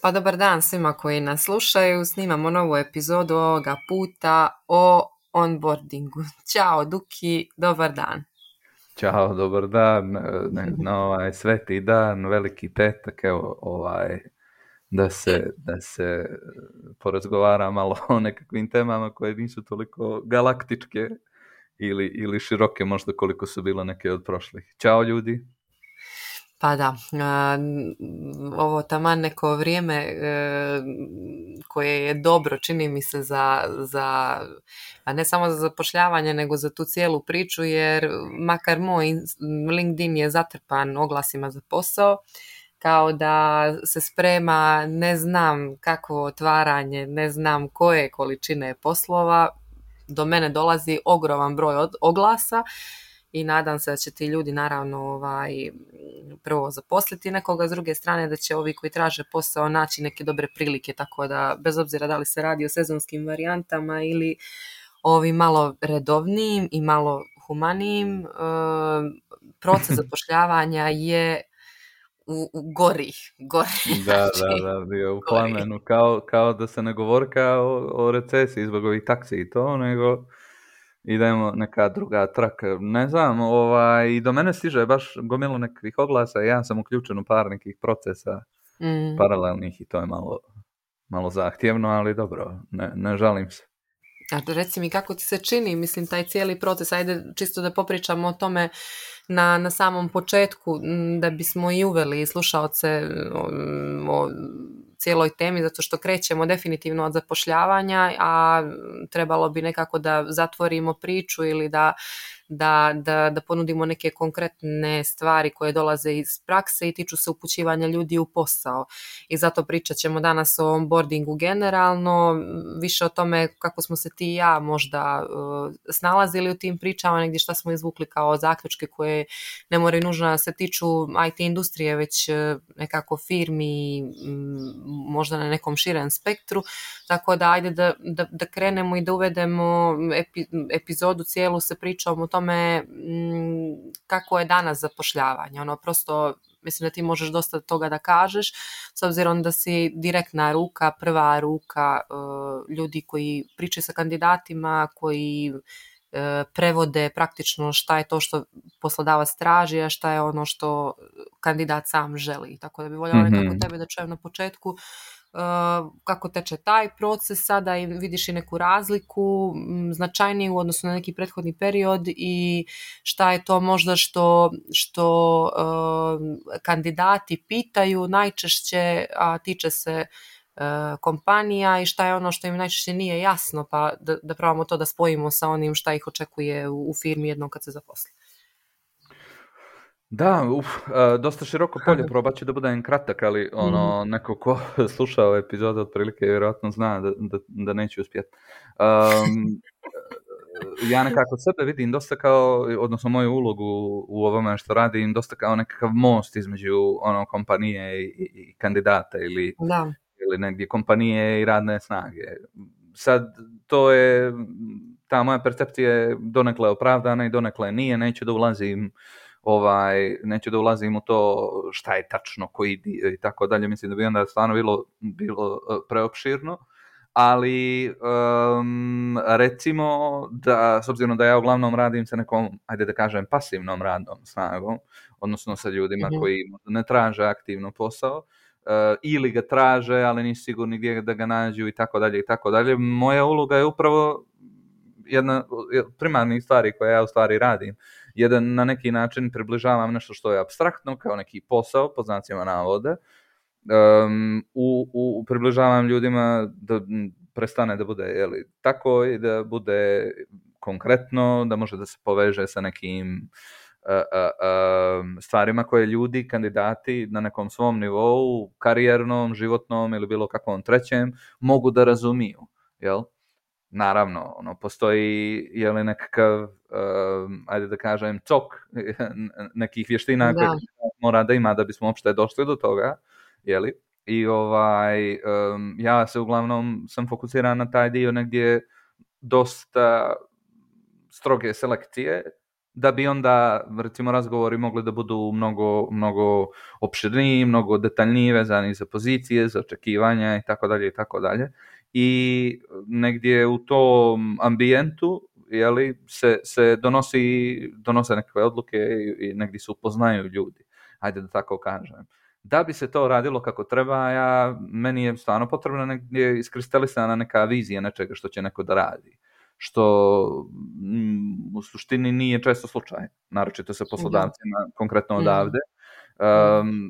Pa dobar dan svima koji nas slušaju. Snimamo novu epizodu ovoga puta o onboardingu. Ćao Duki, dobar dan. Ćao, dobar dan, na sveti dan, veliki petak, evo, da se porazgovara malo o nekakvim temama koje nisu toliko galaktičke ili široke možda koliko su bile neke od prošlih. Ćao ljudi. Pa da, ovo taman neko vrijeme koje je dobro, čini mi se a ne samo za zapošljavanje, nego za tu cijelu priču, jer makar moj LinkedIn je zatrpan oglasima za posao, kao da se sprema ne znam kakvo otvaranje, ne znam koje količine poslova, do mene dolazi ogroman broj oglasa i nadam se da će ti ljudi naravno prvo zaposliti nekoga, s druge strane da će ovi koji traže posao naći neke dobre prilike, tako da bez obzira da li se radi o sezonskim varijantama ili ovim malo redovnijim i malo humanijim, proces zapošljavanja je u gori. Da, bio u plamenu, kao da se ne govori o recesiji zbog ovih taksi i to, nego idemo neka druga traka. Ne znam, i do mene stiže baš gomilo nekakvih oglasa, ja sam uključen u par nekih procesa paralelnih i to je malo zahtjevno, ali dobro, ne žalim se. A reci mi kako ti se čini, mislim, taj cijeli proces, ajde čisto da popričamo o tome na samom početku, da bismo i uveli slušaoce o cijeloj temi, zato što krećemo definitivno od zapošljavanja, a trebalo bi nekako da zatvorimo priču ili da ponudimo neke konkretne stvari koje dolaze iz prakse i tiču se upućivanja ljudi u posao. I zato pričat ćemo danas o onboardingu generalno, više o tome kako smo se ti i ja možda snalazili u tim pričama, negdje šta smo izvukli kao zaključke koje ne moraju nužno da se tiču IT industrije, već nekako firmi, možda na nekom širem spektru. Tako da ajde da krenemo i da uvedemo epizodu cijelu sa pričom o tome kako je danas zapošljavanje. Prosto mislim da ti možeš dosta toga da kažeš, s obzirom da si direktna ruka, prva ruka ljudi koji pričaju sa kandidatima, koji prevode praktično šta je to što poslodavac traži, a šta je ono što kandidat sam želi. Tako da bi voljela nekako tebe da čujem na početku kako teče taj proces sada i vidiš i neku razliku značajniju u odnosu na neki prethodni period i šta je to možda što kandidati pitaju najčešće, a tiče se kompanija, i šta je ono što im najčešće nije jasno, pa da probamo to da spojimo sa onim šta ih očekuje u firmi jednom kad se zaposli. Da, dosta široko polje, probat ću da budem kratak, ali neko ko slušao epizode otprilike vjerojatno zna da neću uspjeti. Ja nekako sebe vidim dosta kao, odnosno moju ulogu u ovome što radim, dosta kao nekakav most između kompanije i kandidata ili negdje kompanije i radne snage. Sad, to je, ta moja percepcija je donekle opravdana i donekle nije, neću da ulazim u to šta je tačno, koji dio i tako dalje, mislim da bi onda stvarno bilo preopširno, ali recimo da, s obzirom da ja uglavnom radim sa nekom, ajde da kažem, pasivnom radnom snagom, odnosno sa ljudima koji ne traže aktivno posao, ili ga traže, ali nisu sigurni gdje da ga nađu i tako dalje. Moja uloga je upravo jedna od primarnih stvari koje ja u stvari radim. Jedan na neki način približavam nešto što je apstraktno, kao neki posao, pod znacima navoda, približavam ljudima da prestane da bude tako i da bude konkretno, da može da se poveže sa nekim stvarima koje ljudi, kandidati na nekom svom nivou, karijernom, životnom ili bilo kakvom trećem, mogu da razumiju, jel? Naravno, postoji nekakav, ajde da kažem, cok nekih vještina koje mora da ima da bismo uopšte došli do toga, jeli? I ja se uglavnom sam fokusiran na taj dio negdje dosta stroge selekcije, da bi onda, recimo, razgovori mogli da budu mnogo opširniji, mnogo detaljniji, vezani za pozicije, za očekivanja i tako dalje i tako dalje. I negdje u tom ambijentu se donose nekakve odluke i negdje se upoznaju ljudi, ajde da tako kažem. Da bi se to radilo kako treba, meni je stvarno potrebno negdje iskristalisana neka vizija nečega što će neko da radi, što u suštini nije često slučaj, naročito sa poslodavcima, konkretno odavde.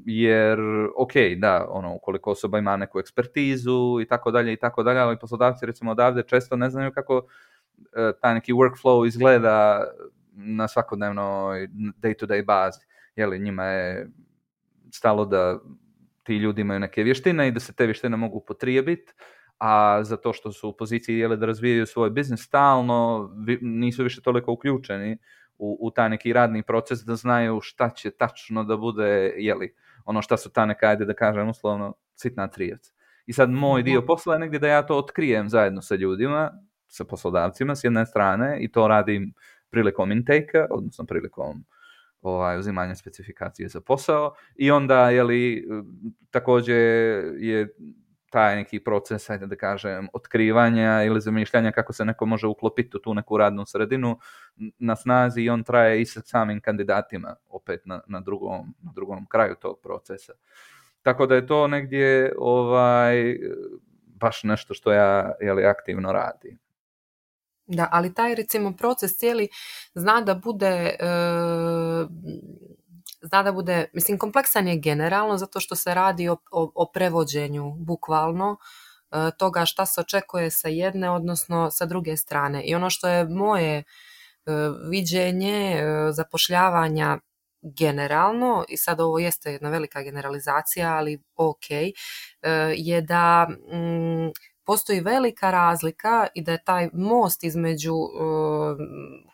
Jer, ok, da, ukoliko osoba ima neku ekspertizu i tako dalje, ali poslodavci recimo odavde često ne znaju kako taj neki workflow izgleda na svakodnevnoj day-to-day bazi. Njima je stalo da ti ljudi imaju neke vještine i da se te vještine mogu upotrijebiti, a zato što su u poziciji da razvijaju svoj biznis stalno, nisu više toliko uključeni u taj neki radni proces da znaju šta će tačno da bude, šta su ta neka, ajde da kažem uslovno, sitna trijac. I sad moj dio posla je negdje da ja to otkrijem zajedno sa ljudima, sa poslodavcima s jedne strane, i to radim prilikom intake-a, odnosno prilikom uzimanja specifikacije za posao, i onda također je taj neki proces, ajde da kažem, otkrivanja ili zamišljanja kako se neko može uklopiti u tu neku radnu sredinu na snazi, i on traje i sa samim kandidatima opet na drugom kraju tog procesa. Tako da je to negdje baš nešto što ja aktivno radim. Da, ali taj recimo proces cijeli zna da bude, mislim, kompleksan je generalno zato što se radi o prevođenju bukvalno toga šta se očekuje sa jedne, odnosno sa druge strane. I ono što je moje viđenje zapošljavanja generalno, i sad ovo jeste jedna velika generalizacija, ali ok, je da postoji velika razlika i da je taj most između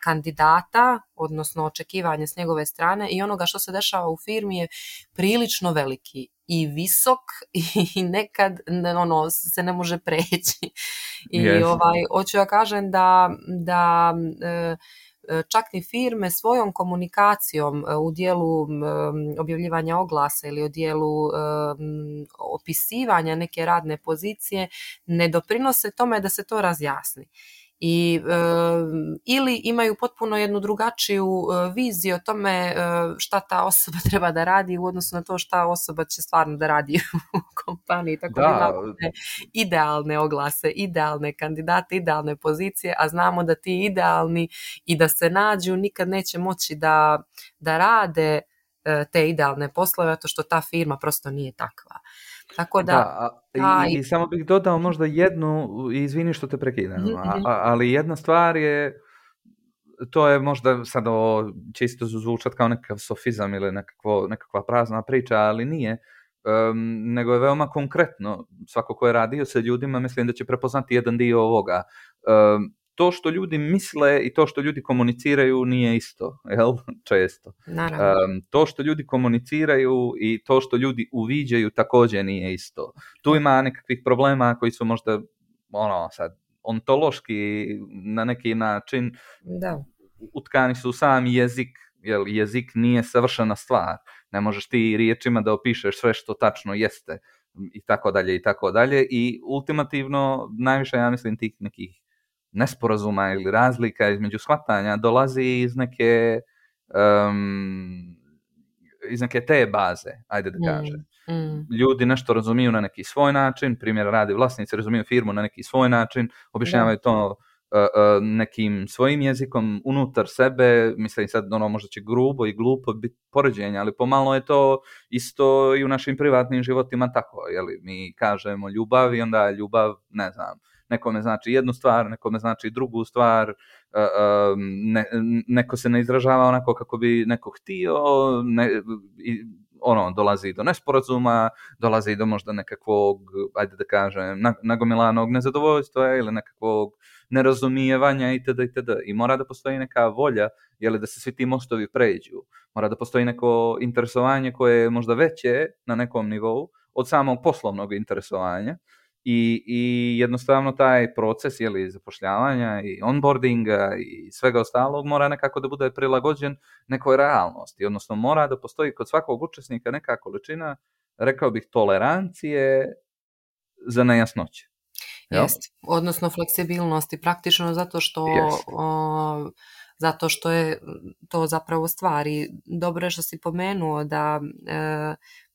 kandidata, odnosno očekivanja s njegove strane, i onoga što se dešava u firmi je prilično veliki i visok i nekad se ne može preći. I hoću ja kažem da čak i firme svojom komunikacijom u dijelu objavljivanja oglasa ili u dijelu opisivanja neke radne pozicije ne doprinose tome da se to razjasni. Ili imaju potpuno jednu drugačiju viziju o tome šta ta osoba treba da radi u odnosu na to šta osoba će stvarno da radi u kompaniji. Tako da imamo idealne oglase, idealne kandidate, idealne pozicije, a znamo da ti idealni i da se nađu nikad neće moći da rade te idealne poslove, zato što ta firma prosto nije takva. Tako I samo bih dodao možda jednu, izvini što te prekidam, ali jedna stvar je, to je možda sad čisto zvučat kao nekakav sofizam ili nekakva prazna priča, ali nije, nego je veoma konkretno. Svako ko je radio sa ljudima, mislim da će prepoznati jedan dio ovoga. To što ljudi misle i to što ljudi komuniciraju nije isto, jel? Često. To što ljudi komuniciraju i to što ljudi uviđaju također nije isto. Tu ima nekakvih problema koji su možda sad ontološki na neki način utkani su u sam jezik, jer jezik nije savršena stvar. Ne možeš ti riječima da opišeš sve što tačno jeste i tako dalje i tako dalje, i ultimativno najviše, ja mislim, tih nekih nesporazuma ili razlika između shvatanja dolazi iz neke te baze, ajde da kažem. Ljudi nešto razumiju na neki svoj način, primjer radi vlasnici razumiju firmu na neki svoj način, objašnjavaju to nekim svojim jezikom unutar sebe, mislim sad možda će grubo i glupo biti poređenje, ali pomalo je to isto i u našim privatnim životima tako, mi kažemo ljubav i onda ljubav, ne znam, nekome znači jednu stvar, nekome znači drugu stvar, neko se ne izražava onako kako bi neko htio, dolazi do nesporazuma, dolazi do možda nekakvog, ajde da kažem, nagomilanog nezadovoljstva ili nekakvog nerazumijevanja itd. I mora da postoji neka volja, da se svi ti mostovi pređu. Mora da postoji neko interesovanje koje je možda veće na nekom nivou od samog poslovnog interesovanja, I jednostavno taj proces zapošljavanja i onboardinga i svega ostalog mora nekako da bude prilagođen nekoj realnosti, odnosno mora da postoji kod svakog učesnika neka količina, rekao bih, tolerancije za nejasnoće. Jest, odnosno fleksibilnosti, praktično zato što je to zapravo stvari. Dobro je što si pomenuo da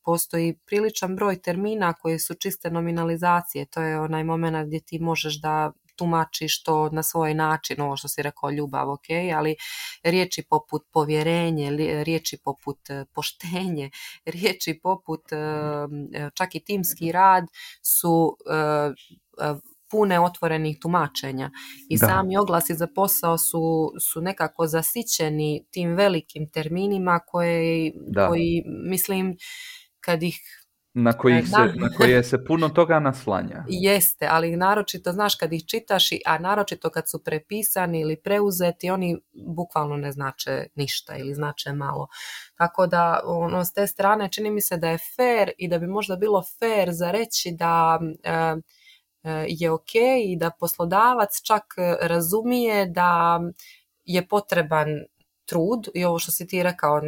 postoji priličan broj termina koji su čiste nominalizacije. To je onaj moment gdje ti možeš da tumačiš to na svoj način, ovo što si rekao, ljubav, ok, ali riječi poput povjerenje, riječi poput poštenje, riječi poput čak i timski rad su pune otvorenih tumačenja i sami oglasi za posao su nekako zasićeni tim velikim terminima koji mislim kad ih na koje se puno toga naslanja. Jeste, ali naročito, znaš, kad ih čitaš, a naročito kad su prepisani ili preuzeti, oni bukvalno ne znače ništa ili znače malo. Tako da, s te strane čini mi se da je fair i da bi možda bilo fair za reći da je ok i da poslodavac čak razumije da je potreban trud i ovo što si ti rekao,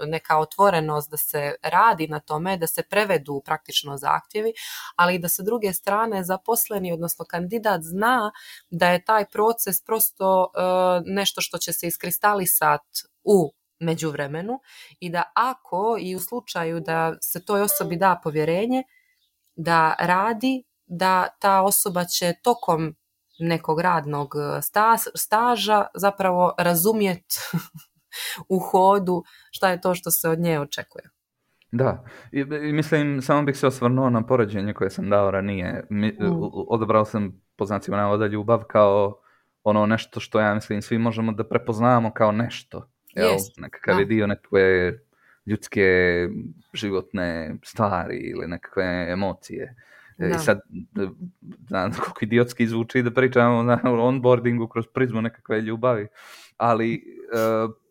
neka otvorenost da se radi na tome, da se prevedu praktično zahtjevi, ali i da sa druge strane zaposleni, odnosno kandidat, zna da je taj proces prosto nešto što će se iskristalisati u međuvremenu i da ako i u slučaju da se toj osobi da povjerenje da radi, da ta osoba će tokom nekog radnog staža zapravo razumjeti u hodu šta je to što se od nje očekuje. Da, i mislim, samo bih se osvrnuo na poređenje koje sam dao ranije. Odabrao sam, po znacima navoda, ljubav kao ono nešto što ja mislim svi možemo da prepoznamo kao nešto. Nekakav je dio nekakve ljudske životne stvari ili nekakve emocije. I sad, znam koliko idiotski zvuči da pričamo o onboardingu kroz prizmu nekakve ljubavi, ali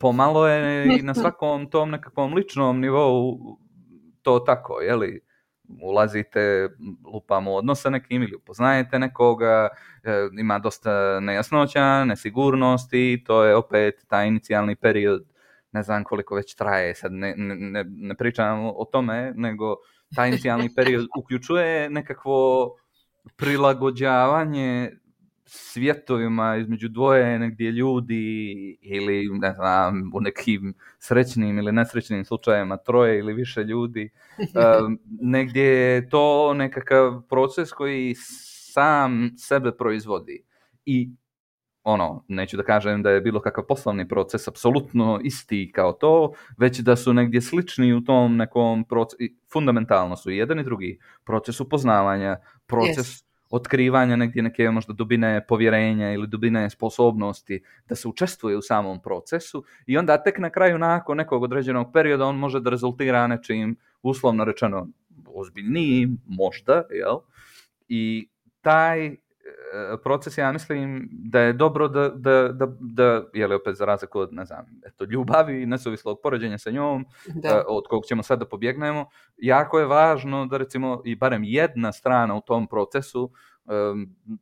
pomalo je i na svakom tom nekakvom ličnom nivou to tako, jeli? Ulazite, lupamo odnos sa nekim ili upoznajete nekoga, ima dosta nejasnoća, nesigurnosti, to je opet taj inicijalni period, ne znam koliko već traje, sad ne pričam o tome, nego taj inicijalni period uključuje nekakvo prilagođavanje svjetovima između dvoje negdje ljudi ili ne znam, u nekim srećnim ili nesrećnim slučajevima troje ili više ljudi. Negdje je to nekakav proces koji sam sebe proizvodi i neću da kažem da je bilo kakav poslovni proces apsolutno isti kao to, već da su negdje slični u tom nekom procesu, fundamentalno su i jedan i drugi proces upoznavanja, proces otkrivanja negdje neke možda dubine povjerenja ili dubine sposobnosti da se učestvuje u samom procesu i onda tek na kraju nakon nekog određenog perioda on može da rezultira nečim uslovno rečeno ozbiljnijim, možda, jel? I taj proces, ja mislim da je dobro da jeli opet za razliku od, ne znam, ljubavi i nesuvislog poređenja sa njom, od kog ćemo sad da pobjegnemo, jako je važno da recimo i barem jedna strana u tom procesu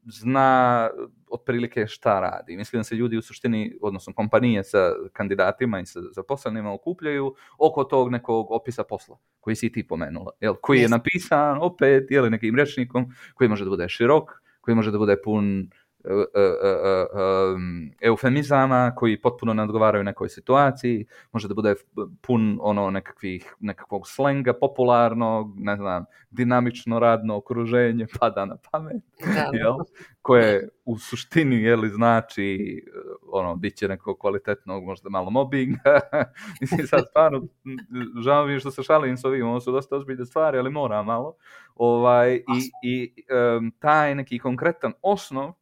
zna otprilike šta radi. Mislim da se ljudi u suštini, odnosno kompanije sa kandidatima i sa zaposlenima okupljaju oko tog nekog opisa posla koji si ti pomenula, koji je napisan opet nekim rječnikom koji može da bude širok, koji može da bude pun eufemizama koji potpuno ne odgovaraju nekoj situaciji, može da bude pun nekakvog slenga popularnog, ne znam, dinamično radno okruženje pada na pamet, koje u suštini znači bit će nekog kvalitetnog, možda malo mobbinga. Mislim, sad stvarno žao mi što se šalim s ovim, ovo su dosta ozbiljne stvari, ali mora malo. Taj neki konkretan osnov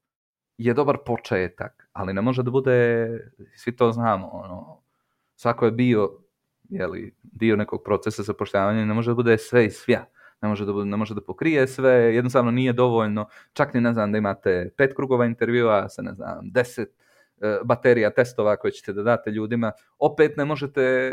je dobar početak, ali ne može da bude, svi to znamo, svako je bio dio nekog procesa zapošljavanja, ne može da bude sve i svja, ne može da pokrije sve, jednostavno nije dovoljno, čak ni ne znam da imate 5 krugova intervjua sa 10 baterija testova koje ćete da date ljudima, opet ne možete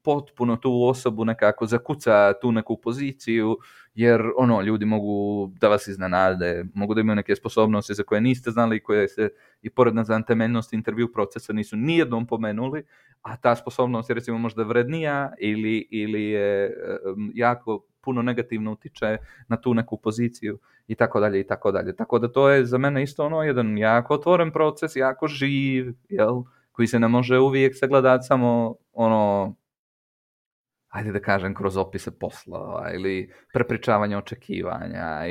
potpuno tu osobu nekako zakuca tu neku poziciju, jer ljudi mogu da vas iznenade, mogu da imaju neke sposobnosti za koje niste znali, koje se i pored na temeljnosti intervju procesa nisu nijednom pomenuli, a ta sposobnost je recimo možda vrednija ili je jako puno negativno utiče na tu neku poziciju i tako dalje i tako dalje. Tako da to je za mene isto jedan jako otvoren proces, jako živ, koji se ne može uvijek sagledati samo ajde da kažem, kroz opise poslova ili prepričavanje očekivanja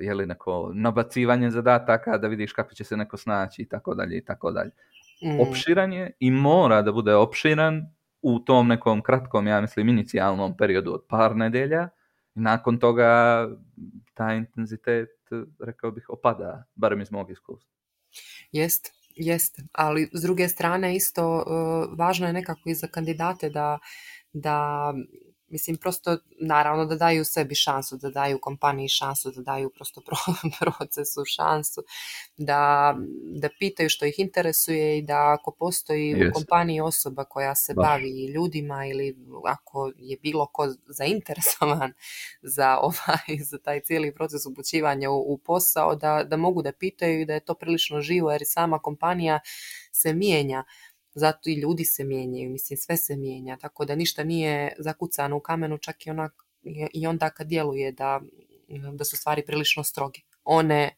ili neko nabacivanje zadataka da vidiš kako će se neko snaći i tako dalje i tako dalje. Opširan je i mora da bude opširan u tom nekom kratkom, ja mislim, inicijalnom periodu od par nedelja. Nakon toga taj intenzitet, rekao bih, opada, barem iz mog iskustva. Jest, ali s druge strane isto važno je nekako i za kandidate da mislim, prosto, naravno da daju sebi šansu, da daju kompaniji šansu, da daju prosto procesu šansu, da pitaju što ih interesuje i da ako postoji u kompaniji osoba koja se bavi ljudima ili ako je bilo ko zainteresovan za taj cijeli proces upućivanja u posao, da mogu da pitaju i da je to prilično živo, jer i sama kompanija se mijenja. Zato i ljudi se mijenjaju, mislim, sve se mijenja, tako da ništa nije zakucano u kamenu, čak i onda kad djeluje da su stvari prilično stroge. One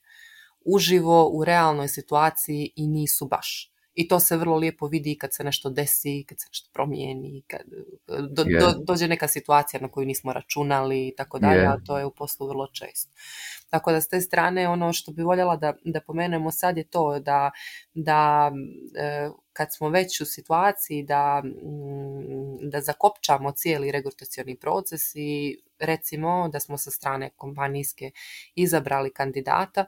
uživo u realnoj situaciji i nisu baš. I to se vrlo lijepo vidi kad se nešto desi, kad se nešto promijeni, kad dođe neka situacija na koju nismo računali i tako dalje, a to je u poslu vrlo često. Tako da s te strane ono što bi voljela da pomenemo sad je to da kad smo već u situaciji da zakopčamo cijeli regrutacioni proces i recimo da smo sa strane kompanijske izabrali kandidata,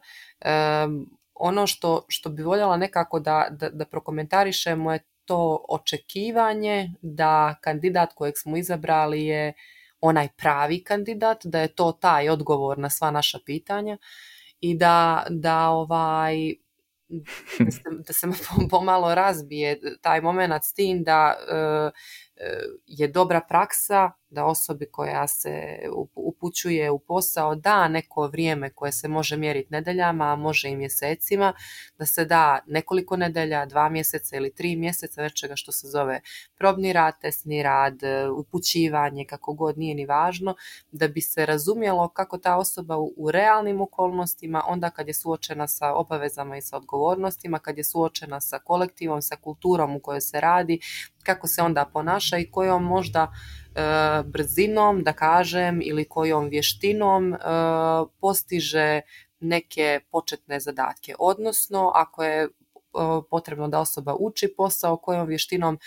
ono što bi voljela nekako da prokomentarišemo je to očekivanje da kandidat kojeg smo izabrali je onaj pravi kandidat, da je to taj odgovor na sva naša pitanja i da se pomalo razbije taj moment s tim da je dobra praksa da osobi koja se upućuje u posao da neko vrijeme koje se može mjeriti nedeljama, a može i mjesecima, da se da nekoliko nedelja, 2 mjeseca ili 3 mjeseca nečega što se zove probni rad, testni rad, upućivanje, kako god, nije ni važno, da bi se razumjelo kako ta osoba u realnim okolnostima, onda kad je suočena sa obavezama i sa odgovornostima, kad je suočena sa kolektivom, sa kulturom u kojoj se radi, kako se onda ponaša i kojom možda brzinom, da kažem, ili kojom vještinom postiže neke početne zadatke. Odnosno, ako je potrebno da osoba uči posao, kojom vještinom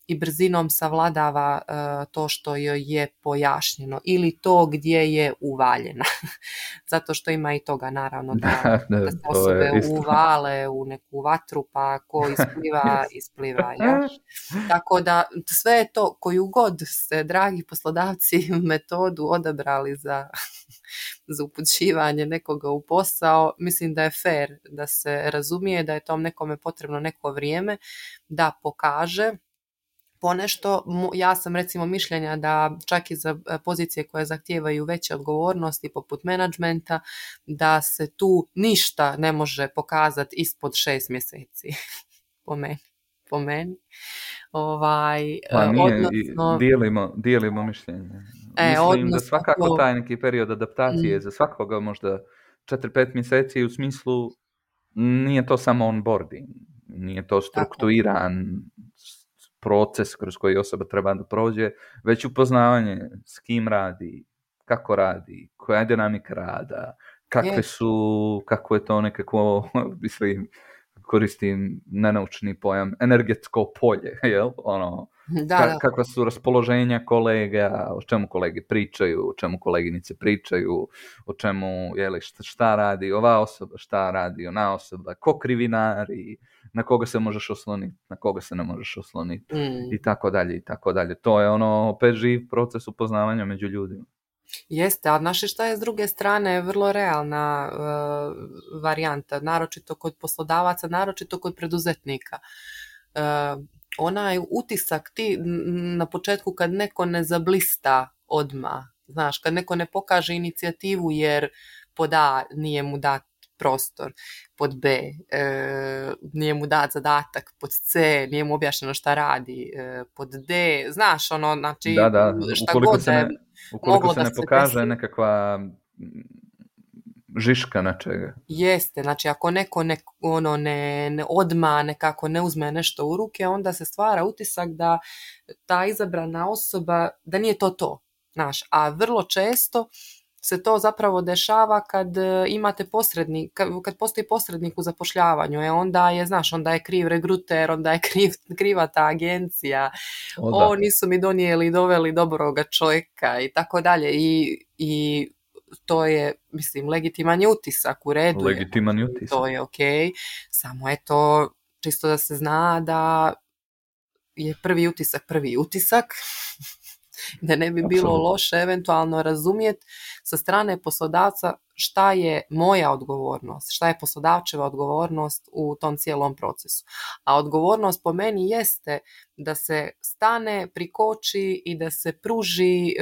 i brzinom savladava to što joj je pojašnjeno ili to gdje je uvaljena. Zato što ima i toga, naravno, da se osobe uvale u neku vatru, pa ko ispliva. Ja? Tako da sve je to, koju god ste, dragi poslodavci, metodu odabrali za upućivanje nekoga u posao, mislim da je fair da se razumije da je tom nekome potrebno neko vrijeme da pokaže ponešto. Ja sam recimo mišljenja da čak i za pozicije koje zahtijevaju veće odgovornosti poput menadžmenta, da se tu ništa ne može pokazati ispod 6 mjeseci. Po meni. Odnosno, dijelimo mišljenje. Mislim da svakako taj neki period adaptacije za svakoga možda 4-5 mjeseci, u smislu nije to samo onboarding, nije to strukturiran proces kroz koji osoba treba da prođe, već upoznavanje s kim radi, kako radi, koja je dinamika rada, kako je to nekako, mislim, koristim nenaučni pojam, energetsko polje, jel? Kakva su raspoloženja kolega, o čemu kolege pričaju, o čemu koleginice pričaju, o čemu, šta radi ova osoba, šta radi ona osoba, ko krivinari, na koga se možeš osloniti, na koga se ne možeš osloniti, i tako dalje, i tako dalje. To je opet živ proces upoznavanja među ljudima. Jeste, a naše šta je s druge strane vrlo realna varijanta, naročito kod poslodavaca, naročito kod preduzetnika. onaj utisak ti na početku kad neko ne zablista odmah, znaš, kad neko ne pokaže inicijativu jer pod A nije mu dat prostor, pod B nije mu dat zadatak, pod C nije mu objašnjeno šta radi, pod D, znaš, ono, znači, Da, šta god da je ukoliko se da ne se pokaže desi, nekakva žiška nečega. jeste, znači ako neko ne odma nekako ne uzme nešto u ruke, onda se stvara utisak da ta izabrana osoba, da nije to, znaš, a vrlo često se to zapravo dešava kad imate posrednik, kad postoji posrednik u zapošljavanju, onda je, znaš, onda je kriv regruter, onda je kriva ta agencija, nisu mi donijeli i doveli dobroga čovjeka i tako dalje, i to je, mislim, legitiman je utisak, u redu legitiman je utisak. To je okej, samo je to čisto da se zna da je prvi utisak da ne bi bilo loše eventualno razumjeti sa strane poslodavca šta je moja odgovornost, šta je poslodavčeva odgovornost u tom cijelom procesu. A odgovornost po meni jeste da se stane, prikoči i da se pruži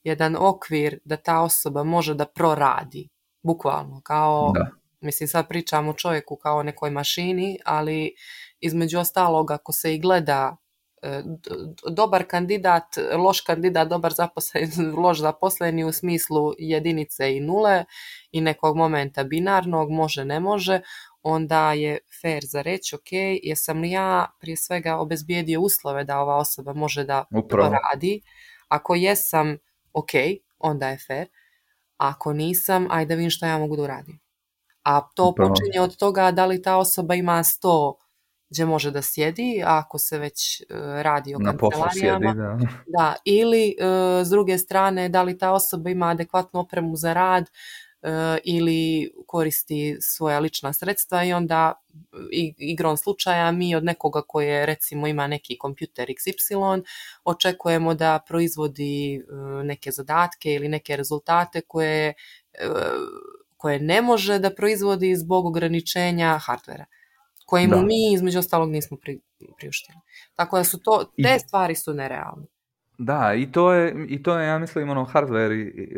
jedan okvir da ta osoba može da proradi. Bukvalno, kao, mislim, sad pričam o čovjeku kao o nekoj mašini, ali između ostalog, ako se i gleda dobar kandidat, loš kandidat, loš zaposleni u smislu jedinice i nule i nekog momenta binarnog, može, ne može, onda je fair za reći, ok, jesam li ja prije svega obezbijedio uslove da ova osoba može da radi. Ako jesam, ok, onda je fair. Ako nisam, ajde vidim što ja mogu da uradim. A to počinje od toga da li ta osoba ima 100 gdje može da sjedi, ako se već radi o kancelarijama. Da, ili s druge strane, da li ta osoba ima adekvatnu opremu za rad ili koristi svoja lična sredstva i onda igrom slučaja mi od nekoga koje recimo ima neki kompjuter XY očekujemo da proizvodi neke zadatke ili neke rezultate koje ne može da proizvodi zbog ograničenja hardvera, koje mu mi između ostalog nismo priuštili. Tako da su te stvari su nerealne. Da, i to je, ja mislim, hardware i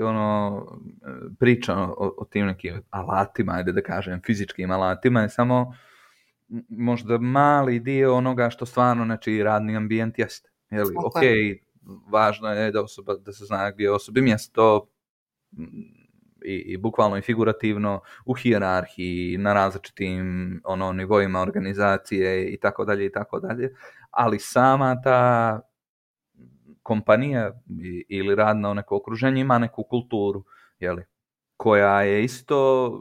priča o tim nekim alatima, ajde da kažem, fizičkim alatima je samo možda mali dio onoga što stvarno nečiji radni ambijent jeste. Ok, važno je da se zna gdje je osobi mjesto i bukvalno i figurativno u hijerarhiji, na različitim nivoima organizacije i tako dalje, ali sama ta kompanija ili radno neko okruženje ima neku kulturu, koja je isto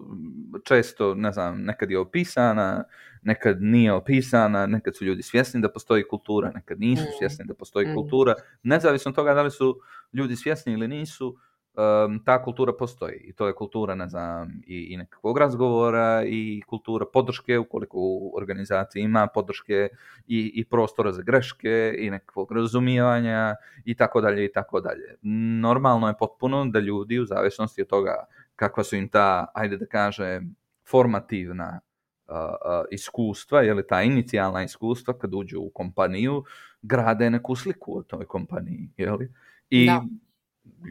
često, ne znam, nekad je opisana, nekad nije opisana, nekad su ljudi svjesni da postoji kultura, nekad nisu svjesni da postoji kultura. Nezavisno od toga da li su ljudi svjesni ili nisu, ta kultura postoji. I to je kultura, ne znam, i nekakvog razgovora i kultura podrške, ukoliko u organizaciji ima podrške i prostora za greške i nekakvog razumijevanja i tako dalje. Normalno je potpuno da ljudi u zavisnosti od toga kakva su im ta, ajde da kažem, formativna iskustva, ta inicijalna iskustva kad uđu u kompaniju, grade neku sliku o toj kompaniji. I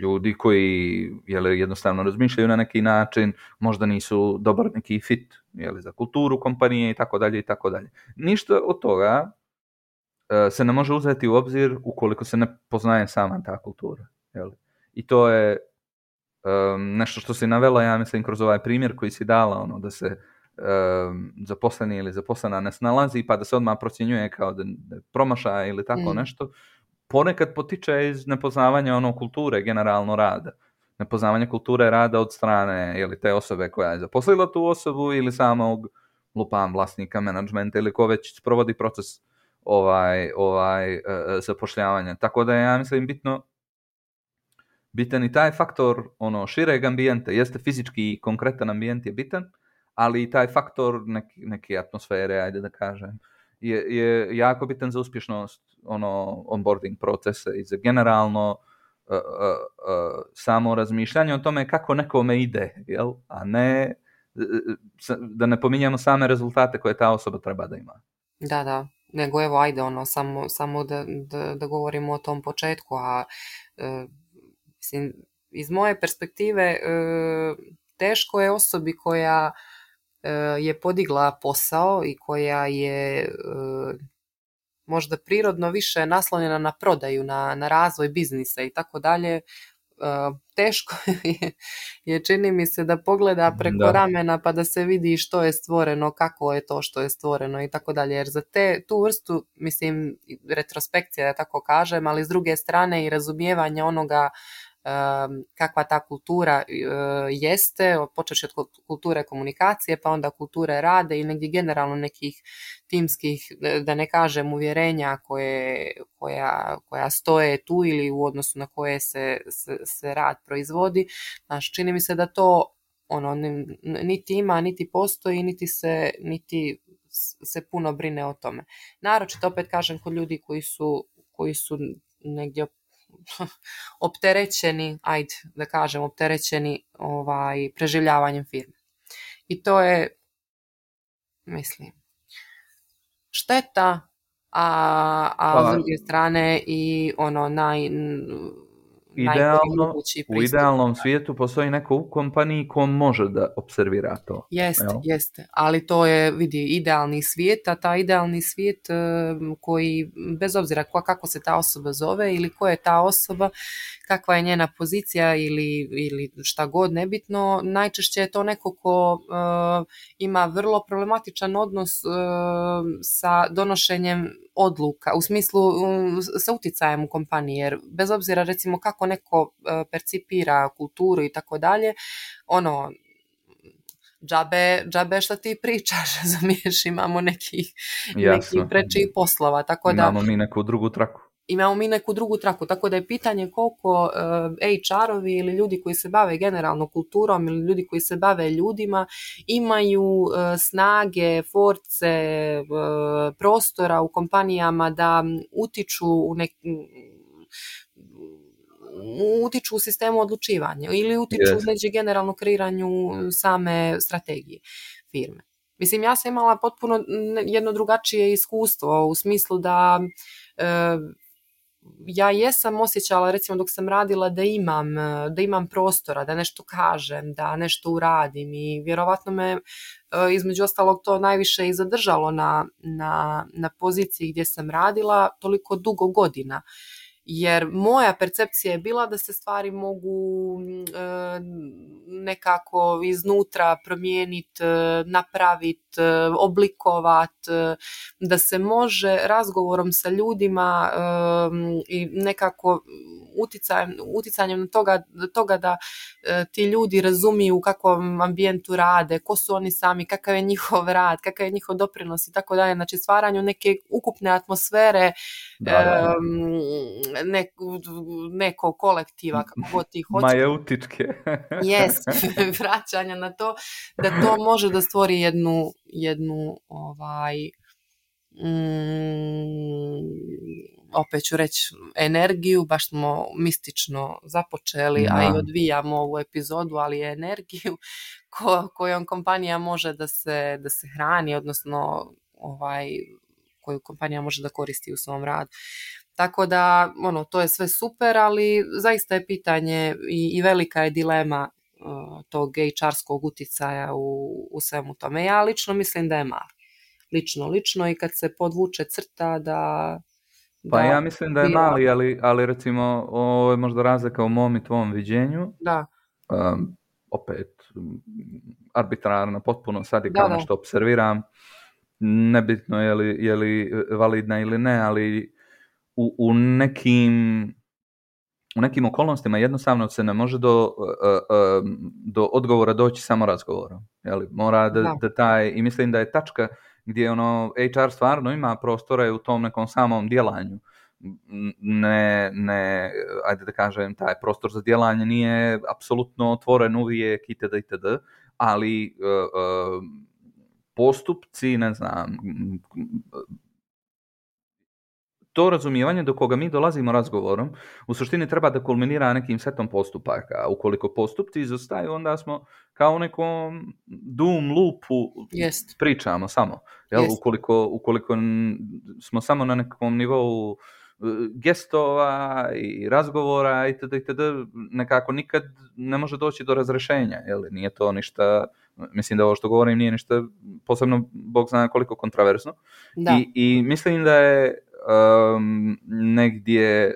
ljudi koji jednostavno razmišljaju na neki način, možda nisu dobar neki fit za kulturu kompanije i tako dalje. Ništa od toga se ne može uzeti u obzir ukoliko se ne poznaje sama ta kultura. I to je nešto što si navela, ja mislim, kroz ovaj primjer koji si dala, da se zaposleni ili zaposlena ne snalazi pa da se odmah procjenjuje kao da promaša ili tako nešto. Ponekad potiče iz nepoznavanja kulture generalno rada. Nepoznavanje kulture rada od strane te osobe koja je zaposlila tu osobu ili samog vlasnika, menadžmenta ili ko već sprovodi proces zapošljavanja. Tako da je, ja mislim, bitan i taj faktor šireg ambijenta. Jeste fizički i konkretan ambijent je bitan, ali i taj faktor neke atmosfere, ajde da kažem, je jako bitan za uspješnost onboarding procesa i za generalno samo razmišljanje o tome kako nekome ide, a ne da ne pominjamo same rezultate koje ta osoba treba da ima. Da, nego evo ajde samo da govorimo o tom početku, a mislim, iz moje perspektive teško je osobi koja je podigla posao i koja je možda prirodno više naslonjena na prodaju, na razvoj biznisa i tako dalje, teško je čini mi se da pogleda preko ramena pa da se vidi što je stvoreno, kako je to što je stvoreno i tako dalje, jer za tu vrstu, mislim, retrospekcija da tako kažem, ali s druge strane i razumijevanje onoga kakva ta kultura jeste, počeši od kulture komunikacije, pa onda kulture rada i negdje generalno nekih timskih, da ne kažem, uvjerenja koja stoje tu ili u odnosu na koje se rad proizvodi. Znači, čini mi se da to niti ima, niti postoji, niti se puno brine o tome. Naročito, opet kažem, kod ljudi koji su negdje opterećeni, preživljavanjem firme. I to je, mislim, šteta, a s druge strane i u idealnom svijetu postoji neko u kompaniji ko može da observira to. Jeste, ali to je, vidi, idealni svijet, a ta idealni svijet koji, bez obzira kako se ta osoba zove ili ko je ta osoba, kakva je njena pozicija ili šta god, nebitno, najčešće je to neko ko ima vrlo problematičan odnos sa donošenjem odluka, u smislu sa uticajem u kompaniji, jer bez obzira recimo kako neko percipira kulturu i tako dalje, džabe šta ti pričaš, razumiješ, imamo nekih prečih poslova, tako da imamo mi neku drugu traku, tako da je pitanje koliko HR-ovi ili ljudi koji se bave generalno kulturom ili ljudi koji se bave ljudima imaju snage, force, prostora u kompanijama da utiču u sistemu odlučivanja ili utiču u generalno kreiranju same strategije firme. Mislim, ja sam imala potpuno jedno drugačije iskustvo u smislu da ja jesam osjećala, recimo dok sam radila, da imam prostora, da nešto kažem, da nešto uradim i vjerovatno me između ostalog to najviše i zadržalo na poziciji gdje sam radila toliko dugo godina. Jer moja percepcija je bila da se stvari mogu nekako iznutra promijeniti, napraviti, oblikovati, da se može razgovorom sa ljudima i nekako uticanjem toga da ti ljudi razumiju u kakvom ambijentu rade, ko su oni sami, kakav je njihov rad, kakav je njihov doprinos i tako dalje. Znači, stvaranju neke ukupne atmosfere nekog kolektiva, kako god ti hoće. Majeutičke. Vraćanja na to, da to može da stvori jednu opet ću reći energiju, baš smo mistično započeli, a i odvijamo ovu epizodu, ali je energiju kojom kompanija može da se hrani, odnosno koju kompanija može da koristi u svom radu. Tako da, to je sve super, ali zaista je pitanje i velika je dilema tog HR-skog uticaja u svemu tome. Ja lično mislim da je mali. Lično i kad se podvuče crta da... Pa ja mislim da je mali, ali recimo ovo je možda razlika u mom i tvom viđenju. Da. Opet, arbitrarno, potpuno sad je kao nešto observiram. Nebitno je li validna ili ne, ali u nekim okolnostima jednostavno se ne može do odgovora doći samo razgovorom. Mora da taj, i mislim da je tačka gdje HR stvarno ima prostora u tom nekom samom djelanju. Ne, ajde da kažem, taj prostor za djelanje nije apsolutno otvoren uvijek itd., ali postupci, ne znam, to razumijevanje do koga mi dolazimo razgovorom u suštini treba da kulminira nekim setom postupaka. Ukoliko postupci izostaju, onda smo kao u nekom doom loopu pričamo samo. Jel? Ukoliko smo samo na nekom nivou gestova i razgovora itd., nekako nikad ne može doći do razrešenja. Jel? Nije to ništa, mislim da ovo što govorim nije ništa posebno, Bog zna koliko kontraverzno. I mislim da je negdje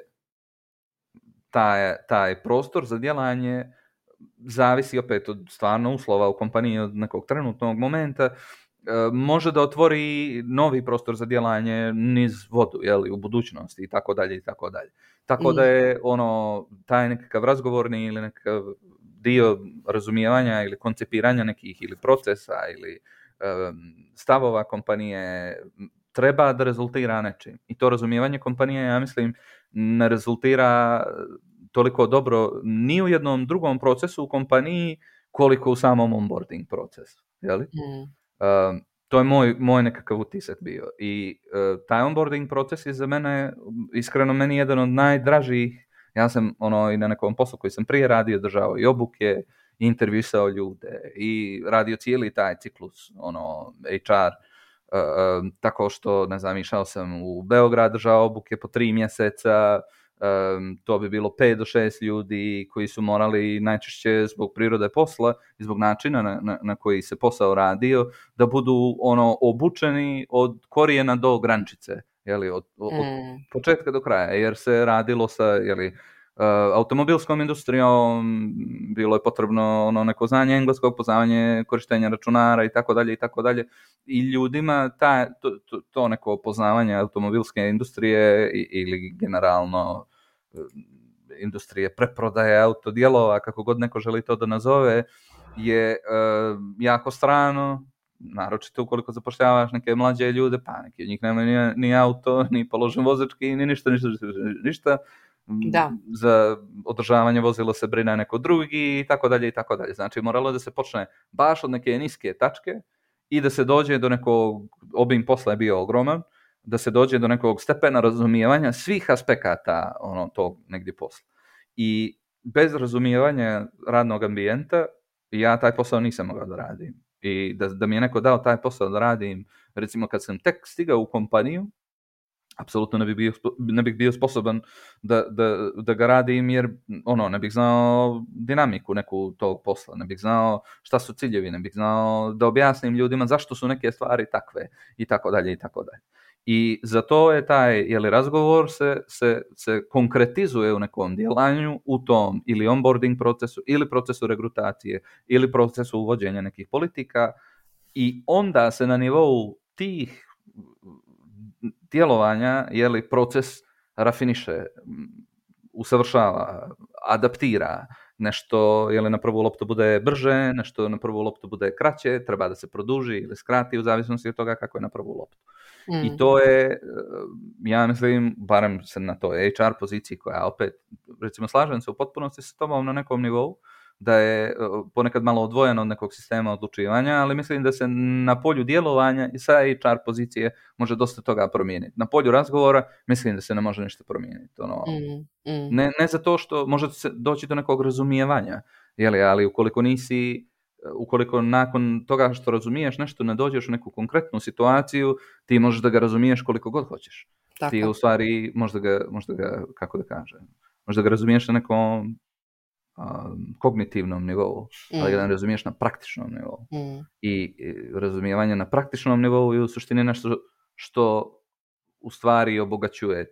taj prostor za djelanje zavisi opet od stvarno uslova u kompaniji, od nekog trenutnog momenta, može da otvori novi prostor za djelanje niz vodu, jeli, u budućnosti i tako dalje i tako dalje. Tako da je taj nekakav razgovorni ili nekakav dio razumijevanja ili koncipiranja nekih ili procesa ili stavova kompanije treba da rezultira nečim. I to razumijevanje kompanije, ja mislim, ne rezultira toliko dobro ni u jednom drugom procesu u kompaniji koliko u samom onboarding procesu. Jeli? To je moj nekakav utisak bio. I taj onboarding proces je za mene, iskreno meni jedan od najdražih. Ja sam i na nekom poslu koji sam prije radio, držao i obuke, i intervjuisao ljude i radio cijeli taj ciklus, HR, tako što, ne znam, išao sam u Beograd, držao obuke po 3 mjeseca, to bi bilo 5 do 6 ljudi koji su morali najčešće zbog prirode posla i zbog načina na koji se posao radio, da budu obučeni od korijena do grančice, jeli, od početka do kraja, jer se radilo sa, jeli, automobilskom industrijom, bilo je potrebno neko znanje engleskog, poznavanje korištenja računara i tako dalje i tako dalje. I ljudima to neko poznavanje automobilske industrije ili generalno industrije preprodaje autodijelova, kako god neko želi to da nazove, je jako strano, naročito ukoliko zapošljavaš neke mlađe ljude, pa neki od njih nema ni auto, ni položen vozački, ni ništa. Za održavanje vozila se brine neko drugi i tako dalje i tako dalje. Znači moralo da se počne baš od neke niske tačke i da se dođe do nekog, obim posla je bio ogroman, da se dođe do nekog stepena razumijevanja svih aspekata tog negdje posla. I bez razumijevanja radnog ambijenta ja taj posao nisam mogao da radim. I da mi je neko dao taj posao da radim, recimo kad sam tek stigao u kompaniju, apsolutno ne bih bio sposoban da ga radim, jer ne bih znao dinamiku neku tog posla, ne bih znao šta su ciljevi, ne bih znao da objasnim ljudima zašto su neke stvari takve i tako dalje i tako dalje. I zato je taj razgovor se konkretizuje u nekom djelanju, u tom ili onboarding procesu, ili procesu regrutacije, ili procesu uvođenja nekih politika, i onda se na nivou tih djelovanja proces rafiniše, usavršava, adaptira. Nešto na prvu loptu bude brže, nešto na prvu loptu bude kraće, treba da se produži ili skrati u zavisnosti od toga kako je na prvu loptu. I to je, ja mislim, barem se na toj HR poziciji koja opet, recimo, slažem se u potpunosti sa tobom na nekom nivou, da je ponekad malo odvojeno od nekog sistema odlučivanja, ali mislim da se na polju djelovanja i sa HR pozicije može dosta toga promijeniti. Na polju razgovora mislim da se ne može ništa promijeniti. Ne zato što može se doći do nekog razumijevanja, ali ukoliko nakon toga što razumiješ nešto ne dođeš u neku konkretnu situaciju, ti možeš da ga razumiješ koliko god hoćeš. Tako. Ti u stvari možda ga, kako da kažem, možda ga razumiješ na nekom kognitivnom nivou, ali ga ne razumiješ na praktičnom nivou. I razumijevanje na praktičnom nivou je u suštini nešto što u stvari obogaćuje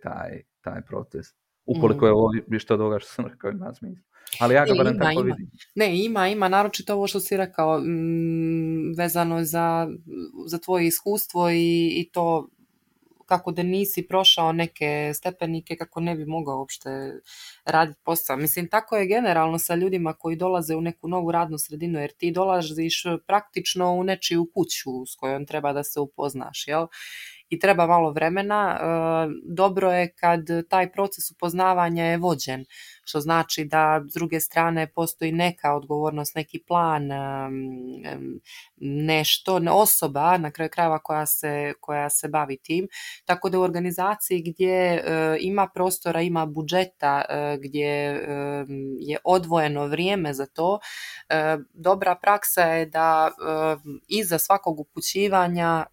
taj proces. Ukoliko je ovo što od ovoga što sam rekao ima smisla. Ali ja ga barem tako vidim. Ne, ima, naročito ovo što si rekao, vezano za tvoje iskustvo i to kako da nisi prošao neke stepenike, kako ne bi mogao uopšte raditi posao. Mislim, tako je generalno sa ljudima koji dolaze u neku novu radnu sredinu, jer ti dolaziš praktično u nečiju kuću s kojom treba da se upoznaš, jel? I treba malo vremena. Dobro je kad taj proces upoznavanja je vođen, što znači da s druge strane postoji neka odgovornost, neki plan, nešto, osoba na kraju krajeva koja se bavi tim. Tako da u organizaciji gdje ima prostora, ima budžeta, gdje je odvojeno vrijeme za to, dobra praksa je da iza svakog upućivanja,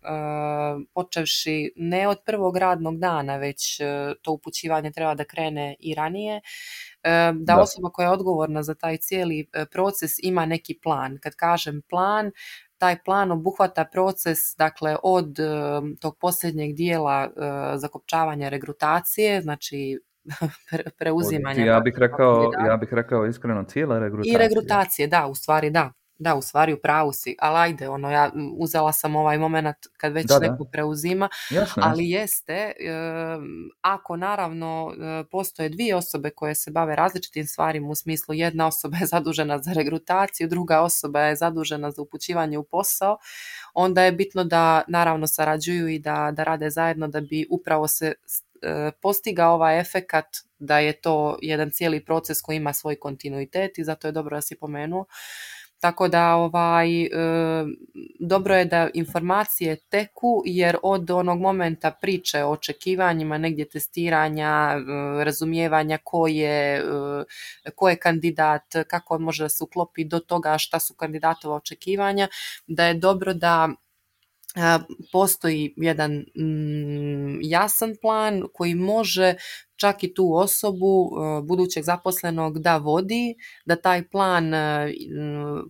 počevši ne od prvog radnog dana, već to upućivanje treba da krene i ranije, da osoba koja je odgovorna za taj cijeli proces ima neki plan. Kad kažem plan, taj plan obuhvata proces, dakle, od tog posljednjeg dijela zakopčavanja regrutacije, znači preuzimanja. Ja bih rekao iskreno cijela regrutacija. I regrutacije, da, u stvari u pravu si, ali ajde, ja uzela sam ovaj moment kad već neko preuzima, jasno, ali jeste, ako naravno postoje dvije osobe koje se bave različitim stvarima, u smislu jedna osoba je zadužena za regrutaciju, druga osoba je zadužena za upućivanje u posao, onda je bitno da naravno sarađuju i da rade zajedno da bi upravo se postigao ovaj efekat da je to jedan cijeli proces koji ima svoj kontinuitet i zato je dobro da si pomenuo. Tako da dobro je da informacije teku, jer od onog momenta priče o očekivanjima, negdje testiranja, razumijevanja ko je kandidat, kako on može da se uklopi do toga šta su kandidatova očekivanja, da je dobro da postoji jedan jasan plan koji može čak i tu osobu, budućeg zaposlenog, da vodi, da taj plan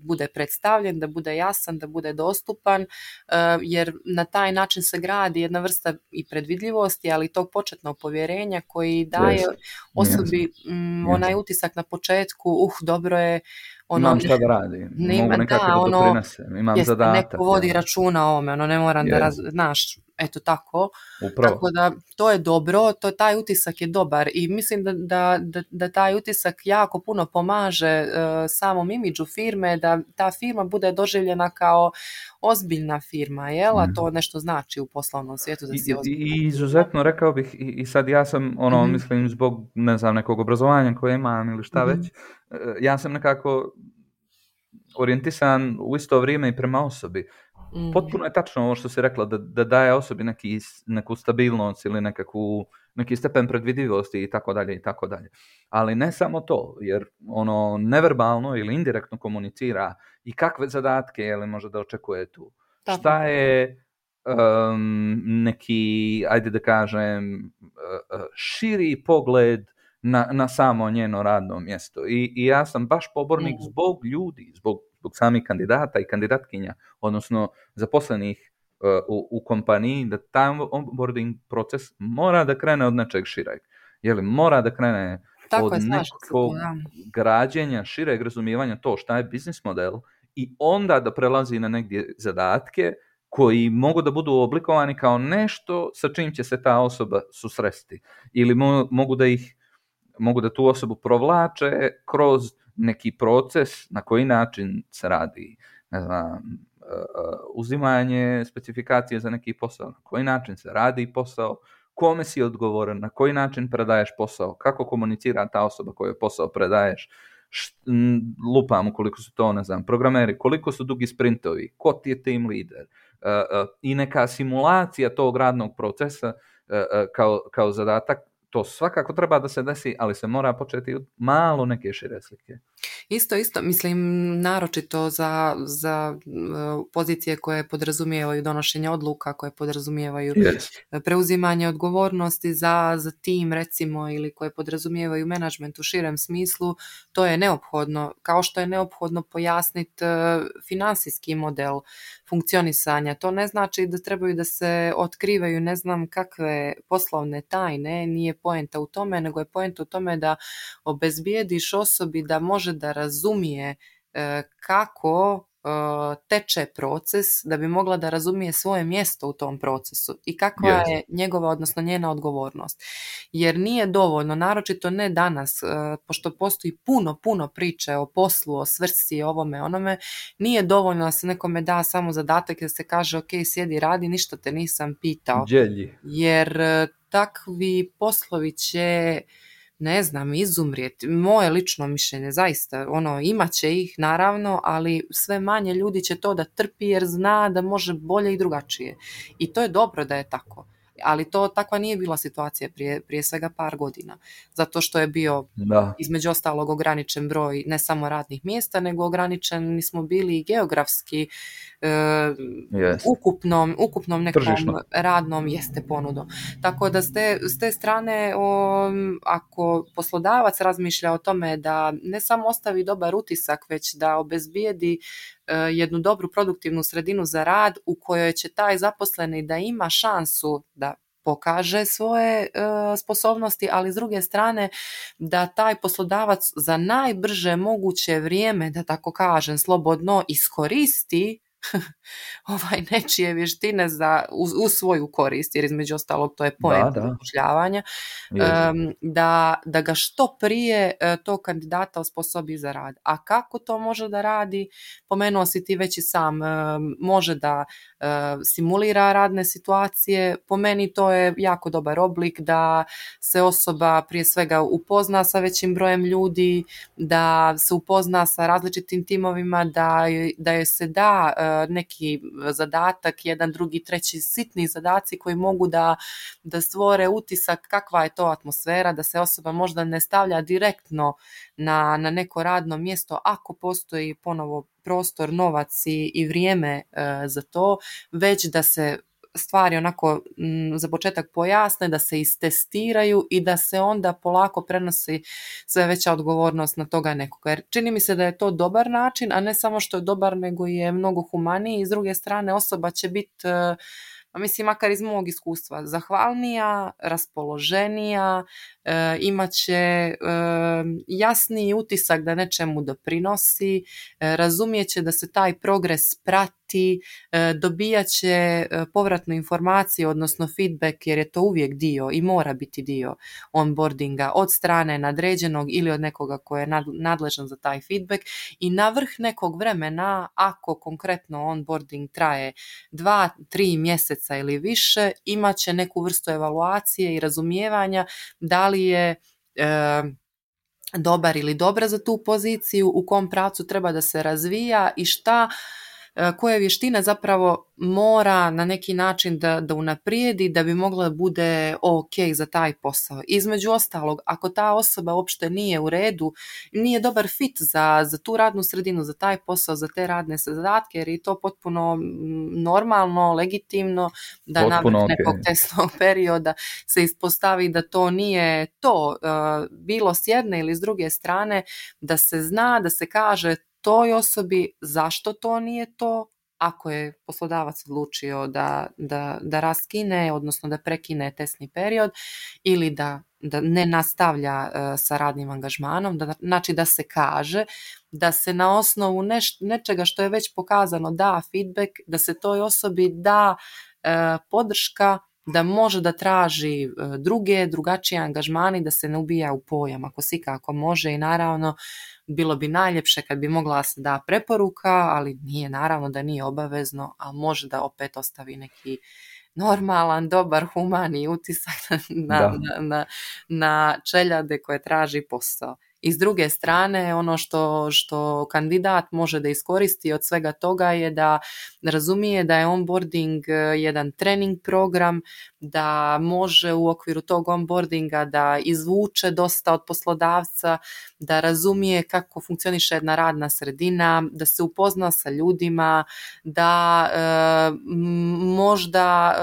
bude predstavljen, da bude jasan, da bude dostupan, jer na taj način se gradi jedna vrsta i predvidljivosti, ali i tog početnog povjerenja koji daje osobi onaj utisak na početku, dobro je, imam šta da radim, mogu nekako da doprinesem, imam zadatak. Neko vodi računa o ome, ne moram da znaš, eto tako. Upravo. Tako da to je dobro, taj utisak je dobar i mislim da taj utisak jako puno pomaže samom imidžu firme, da ta firma bude doživljena kao ozbiljna firma, jel? A to nešto znači u poslovnom svijetu da si ozbiljna. I izuzetno rekao bih, i sad ja sam mislim zbog nekog obrazovanja koje imam ili šta već, ja sam nekako orijentisan u isto vrijeme i prema osobi. Potpuno je tačno ovo što si rekla, da daje osobi neku stabilnost ili neki stepen predvidivosti i tako dalje i tako dalje. Ali ne samo to, jer neverbalno ili indirektno komunicira i kakve zadatke može da očekuje tu. Tako. Šta je neki, ajde da kažem, širi pogled na samo njeno radno mjesto. I ja sam baš pobornik zbog ljudi, zbog samih kandidata i kandidatkinja, odnosno zaposlenih u kompaniji, da taj onboarding proces mora da krene od nečeg šireg. Mora da krene od nekog građenja, šireg razumijevanja to šta je biznis model i onda da prelazi na negdje zadatke koji mogu da budu oblikovani kao nešto sa čim će se ta osoba susresti. Ili mogu da tu osobu provlače kroz neki proces na koji način se radi, ne znam, uzimanje specifikacije za neki posao, na koji način se radi posao, kome si odgovoran, na koji način predaješ posao, kako komunicira ta osoba koju posao predaješ, lupam ukoliko su to, ne znam, programeri, koliko su dugi sprintovi, ko ti je team leader, i neka simulacija tog radnog procesa kao zadatak. To svakako treba da se desi, ali se mora početi od malo neke šire slike. Isto, mislim, naročito za pozicije koje podrazumijevaju donošenje odluka, koje podrazumijevaju preuzimanje odgovornosti za tim, recimo, ili koje podrazumijevaju menadžment u širem smislu, to je neophodno. Kao što je neophodno pojasniti finansijski model funkcionisanja. To ne znači da trebaju da se otkrivaju ne znam kakve poslovne tajne, nije poenta u tome, nego je poenta u tome da obezbijediš osobi da može da razumije kako teče proces, da bi mogla da razumije svoje mjesto u tom procesu i kakva je njegova, odnosno njena odgovornost. Jer nije dovoljno, naročito ne danas, pošto postoji puno priče o poslu, o svrsi, ovome, onome, nije dovoljno da se nekome da samo zadatak da se kaže ok, sjedi, radi, ništa te nisam pitao. Djelji. Jer takvi poslovi će ne znam, izumrijeti. Moje lično mišljenje, zaista, imat će ih naravno, ali sve manje ljudi će to da trpi jer zna da može bolje i drugačije. I to je dobro da je tako. Ali takva nije bila situacija prije svega par godina. Zato što je bio između ostalog ograničen broj ne samo radnih mjesta, nego ograničeni smo bili i geografski, ukupnom nekom tržišno radnom ponudom. Tako da s te strane, ako poslodavac razmišlja o tome da ne samo ostavi dobar utisak, već da obezbijedi jednu dobru produktivnu sredinu za rad u kojoj će taj zaposleni da ima šansu da pokaže svoje sposobnosti, ali s druge strane da taj poslodavac za najbrže moguće vrijeme, da tako kažem, slobodno iskoristi nečije vještine u svoju korist, jer između ostalog to je poenta zapošljavanja, da ga što prije tog kandidata osposobi za rad. A kako to može da radi? Pomenuo si ti već i sam, može da simulira radne situacije. Po meni to je jako dobar oblik da se osoba prije svega upozna sa većim brojem ljudi, da se upozna sa različitim timovima, da joj se da neki zadatak, jedan, drugi, treći, sitni zadaci koji mogu da stvore utisak kakva je to atmosfera, da se osoba možda ne stavlja direktno na neko radno mjesto ako postoji ponovo prostor, novac i vrijeme za to, već da se stvari onako za početak pojasne, da se istestiraju i da se onda polako prenosi sve veća odgovornost na toga nekoga. Jer čini mi se da je to dobar način, a ne samo što je dobar, nego je mnogo humaniji i s druge strane osoba će biti, mislim, makar iz mog iskustva, zahvalnija, raspoloženija, imat će jasniji utisak da nečemu doprinosi, razumijeće da se taj progres prati, dobijat će povratnu informaciju, odnosno feedback, jer je to uvijek dio i mora biti dio onboardinga od strane nadređenog ili od nekoga ko je nadležan za taj feedback, i na vrh nekog vremena, ako konkretno onboarding traje 2-3 mjeseca ili više, imat će neku vrstu evaluacije i razumijevanja da li je dobar ili dobra za tu poziciju, u kom pravcu treba da se razvija i koje vještine zapravo mora na neki način da unaprijedi da bi mogla da bude ok za taj posao. Između ostalog, ako ta osoba uopšte nije u redu, nije dobar fit za tu radnu sredinu, za taj posao, za te radne zadatke, jer je to potpuno normalno, legitimno da nakon nekog testnog perioda se ispostavi da to nije to, bilo s jedne ili s druge strane, da se zna, da se kaže toj osobi zašto to nije to, ako je poslodavac odlučio da raskine, odnosno da prekine testni period ili da ne nastavlja sa radnim angažmanom, znači da se kaže, da se na osnovu nečega što je već pokazano da feedback, da se toj osobi da podrška, da može da traži drugačije angažmani, da se ne ubija u pojam ako si kako može, i naravno bilo bi najljepše kad bi mogla se da preporuka, ali nije, naravno da nije obavezno, ali može da opet ostavi neki normalan, dobar, humani utisak na čeljade koje traži posao. I s druge strane, ono što kandidat može da iskoristi od svega toga je da razumije da je onboarding jedan trening program, da može u okviru tog onboardinga da izvuče dosta od poslodavca, da razumije kako funkcioniše jedna radna sredina, da se upozna sa ljudima, da možda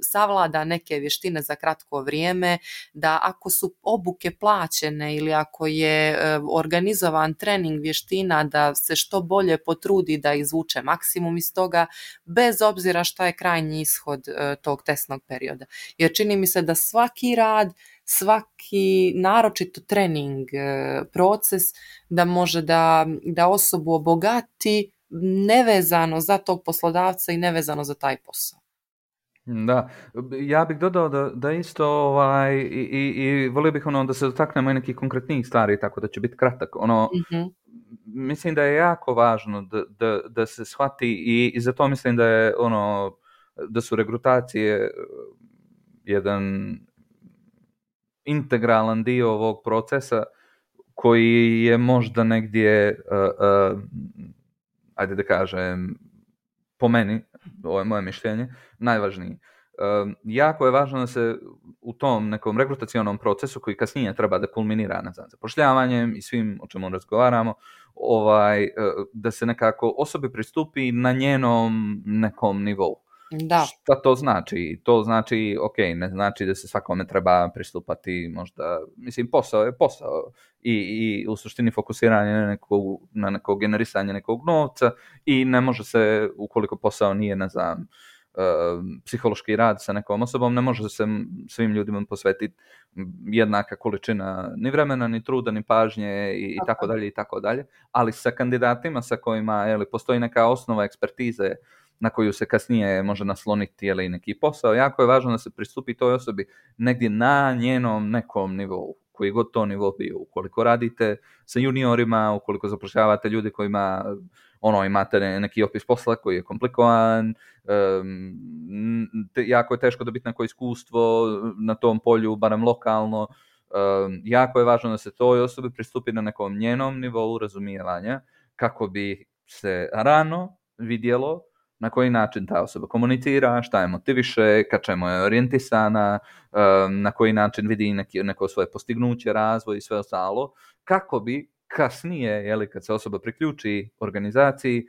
savlada neke vještine za kratko vrijeme, da ako su obuke plaćene ili ako je organizovan trening vještina, da se što bolje potrudi da izvuče maksimum iz toga, bez obzira šta je krajnji ishod tog testnog perioda. Jer čini mi se da svaki rad, svaki naročito trening proces da može da osobu obogati nevezano za tog poslodavca i nevezano za taj posao. Da, ja bih dodao da isto i volio bih da se dotaknemo i nekih konkretnijih stvari, tako da će biti kratak. Mislim da je jako važno da se shvati i zato mislim da je da su regrutacije jedan integralan dio ovog procesa koji je možda negdje, ajde da kažem, po meni, ovo je moje mišljenje, najvažniji. Jako je važno da se u tom nekom rekrutacionom procesu koji kasnije treba da kulminira na zapošljavanjem i svim o čemu razgovaramo, da se nekako osobi pristupi na njenom nekom nivou. Da. Šta to znači? To znači, ok, ne znači da se svakome treba pristupati možda, mislim, posao je posao i u suštini fokusiranje na neko generisanje nekog novca i ne može se, ukoliko posao nije, ne znam, psihološki rad sa nekom osobom, ne može se svim ljudima posvetiti jednaka količina ni vremena, ni truda, ni pažnje i tako dalje i tako dalje, ali sa kandidatima sa kojima postoji neka osnova ekspertize na koju se kasnije može nasloniti neki posao, jako je važno da se pristupi toj osobi negdje na njenom nekom nivou, koji god to nivo bio. Ukoliko radite sa juniorima, ukoliko zapošljavate ljudi kojima imate neki opis posla koji je komplikovan, jako je teško dobiti neko iskustvo na tom polju, barem lokalno. Jako je važno da se toj osobi pristupi na nekom njenom nivou razumijevanja, kako bi se rano vidjelo na koji način ta osoba komunicira, šta je motiviše, ka čemu je orijentisana, na koji način vidi neko svoje postignuće, razvoj i sve ostalo, kako bi kasnije, kad se osoba priključi organizaciji,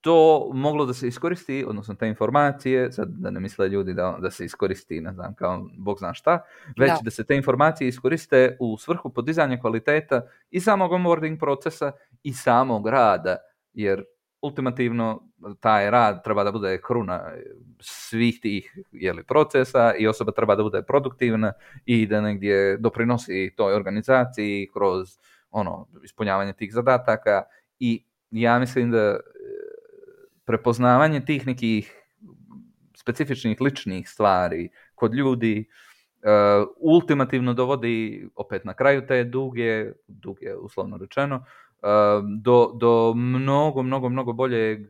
to moglo da se iskoristi, odnosno te informacije, sad da ne misle ljudi da se iskoristi, ne znam, kao Bog zna šta, već da se te informacije iskoriste u svrhu podizanja kvaliteta i samog onboarding procesa i samog rada, jer ultimativno taj rad treba da bude kruna svih tih procesa i osoba treba da bude produktivna i da negdje doprinosi toj organizaciji kroz ispunjavanje tih zadataka. I ja mislim da prepoznavanje tih nekih specifičnih ličnih stvari kod ljudi ultimativno dovodi opet na kraju te duge uslovno rečeno, do mnogo boljeg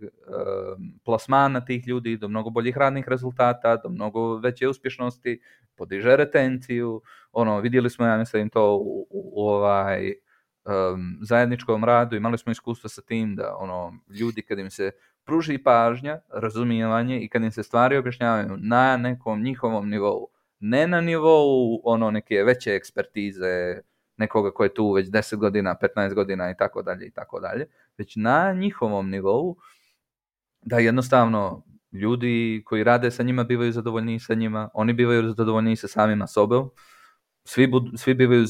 plasmana tih ljudi, do mnogo boljih radnih rezultata, do mnogo veće uspješnosti, podiže retenciju. Vidjeli smo, ja mislim, to u zajedničkom radu, imali smo iskustva sa tim da ljudi kad im se pruži pažnja, razumijevanje i kad im se stvari objašnjavaju na nekom njihovom nivou, ne na nivou neke veće ekspertize nekoga ko je tu već 10 godina, 15 godina i tako dalje, već na njihovom nivou, da jednostavno ljudi koji rade sa njima bivaju zadovoljniji sa njima, oni bivaju zadovoljniji sa samima sobom, svi bivaju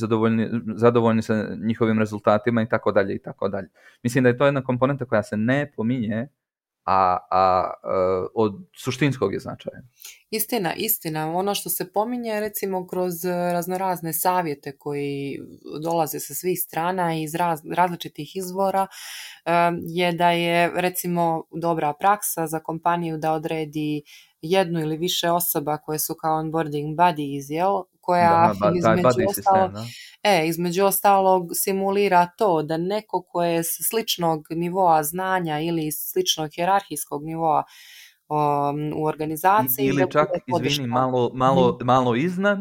zadovoljni sa njihovim rezultatima i tako dalje i tako dalje. Mislim da je to jedna komponenta koja se ne pominje, a od suštinskog je značaja. Istina. Ono što se pominje recimo kroz raznorazne savjete koji dolaze sa svih strana iz različitih izvora je da je recimo dobra praksa za kompaniju da odredi jednu ili više osoba koje su kao onboarding buddies, koja između ostalog simulira to da neko ko je s sličnog nivoa znanja ili sličnog hijerarhijskog nivoa u organizaciji ili čak, izvini, malo iznad,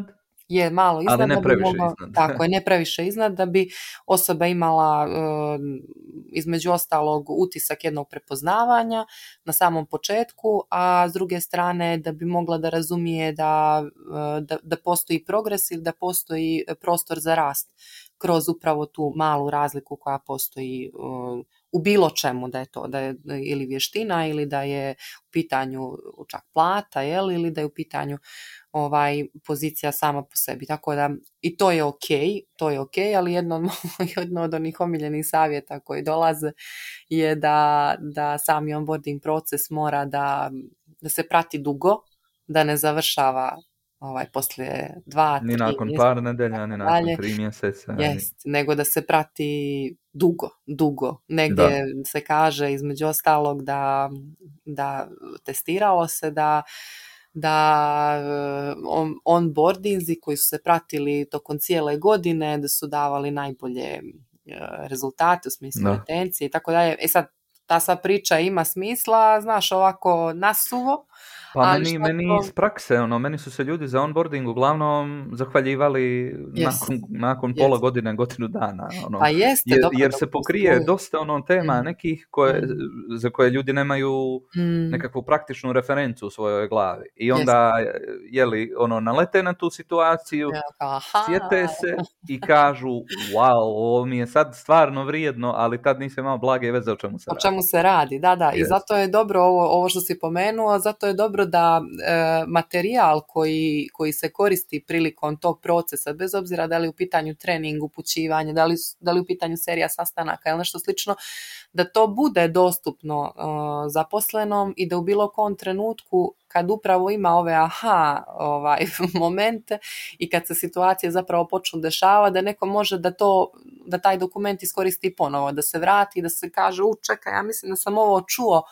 je malo iznad, ali ne previše iznad. Tako je, ne previše iznad, da bi osoba imala između ostalog utisak jednog prepoznavanja na samom početku, a s druge strane da bi mogla da razumije da postoji progres ili da postoji prostor za rast kroz upravo tu malu razliku koja postoji u bilo čemu, da je to da je ili vještina ili da je u pitanju čak plata, ili da je u pitanju pozicija sama po sebi. Tako da i to je ok, ali jedno od onih omiljenih savjeta koji dolaze je da sami onboarding proces mora da se prati dugo, da ne završava poslije 2-3 ni nakon par nedelja, ni nakon 3 mjeseca. Nego da se prati dugo. Negdje se kaže između ostalog da testiralo se da onboardinzi koji su se pratili tokom cijele godine da su davali najbolje rezultate u smislu retencije i tako dalje. Sad, ta sva priča ima smisla, znaš, ovako nasuvo, Pa Ali meni iz prakse, meni su se ljudi za onboarding uglavnom zahvaljivali nakon pola godine, godinu dana, Pa jeste, dobro, jer se pokrije dosta tema nekih za koje ljudi nemaju nekakvu praktičnu referencu u svojoj glavi. I onda, nalete na tu situaciju, sjete se i kažu, wow, ovo mi je sad stvarno vrijedno, ali tad nisam imao blage veze o čemu se radi. Da. Yes. I zato je dobro ovo što si pomenuo, zato je dobro da materijal koji se koristi prilikom tog procesa, bez obzira da li u pitanju trening, upućivanje, da li u pitanju serija sastanaka ili nešto slično, da to bude dostupno zaposlenom i da u bilo kom trenutku kad upravo ima ove momente i kad se situacije zapravo počnu dešavati, da neko može da taj dokument iskoristi ponovo, da se vrati, da se kaže, čekaj, ja mislim da sam ovo čuo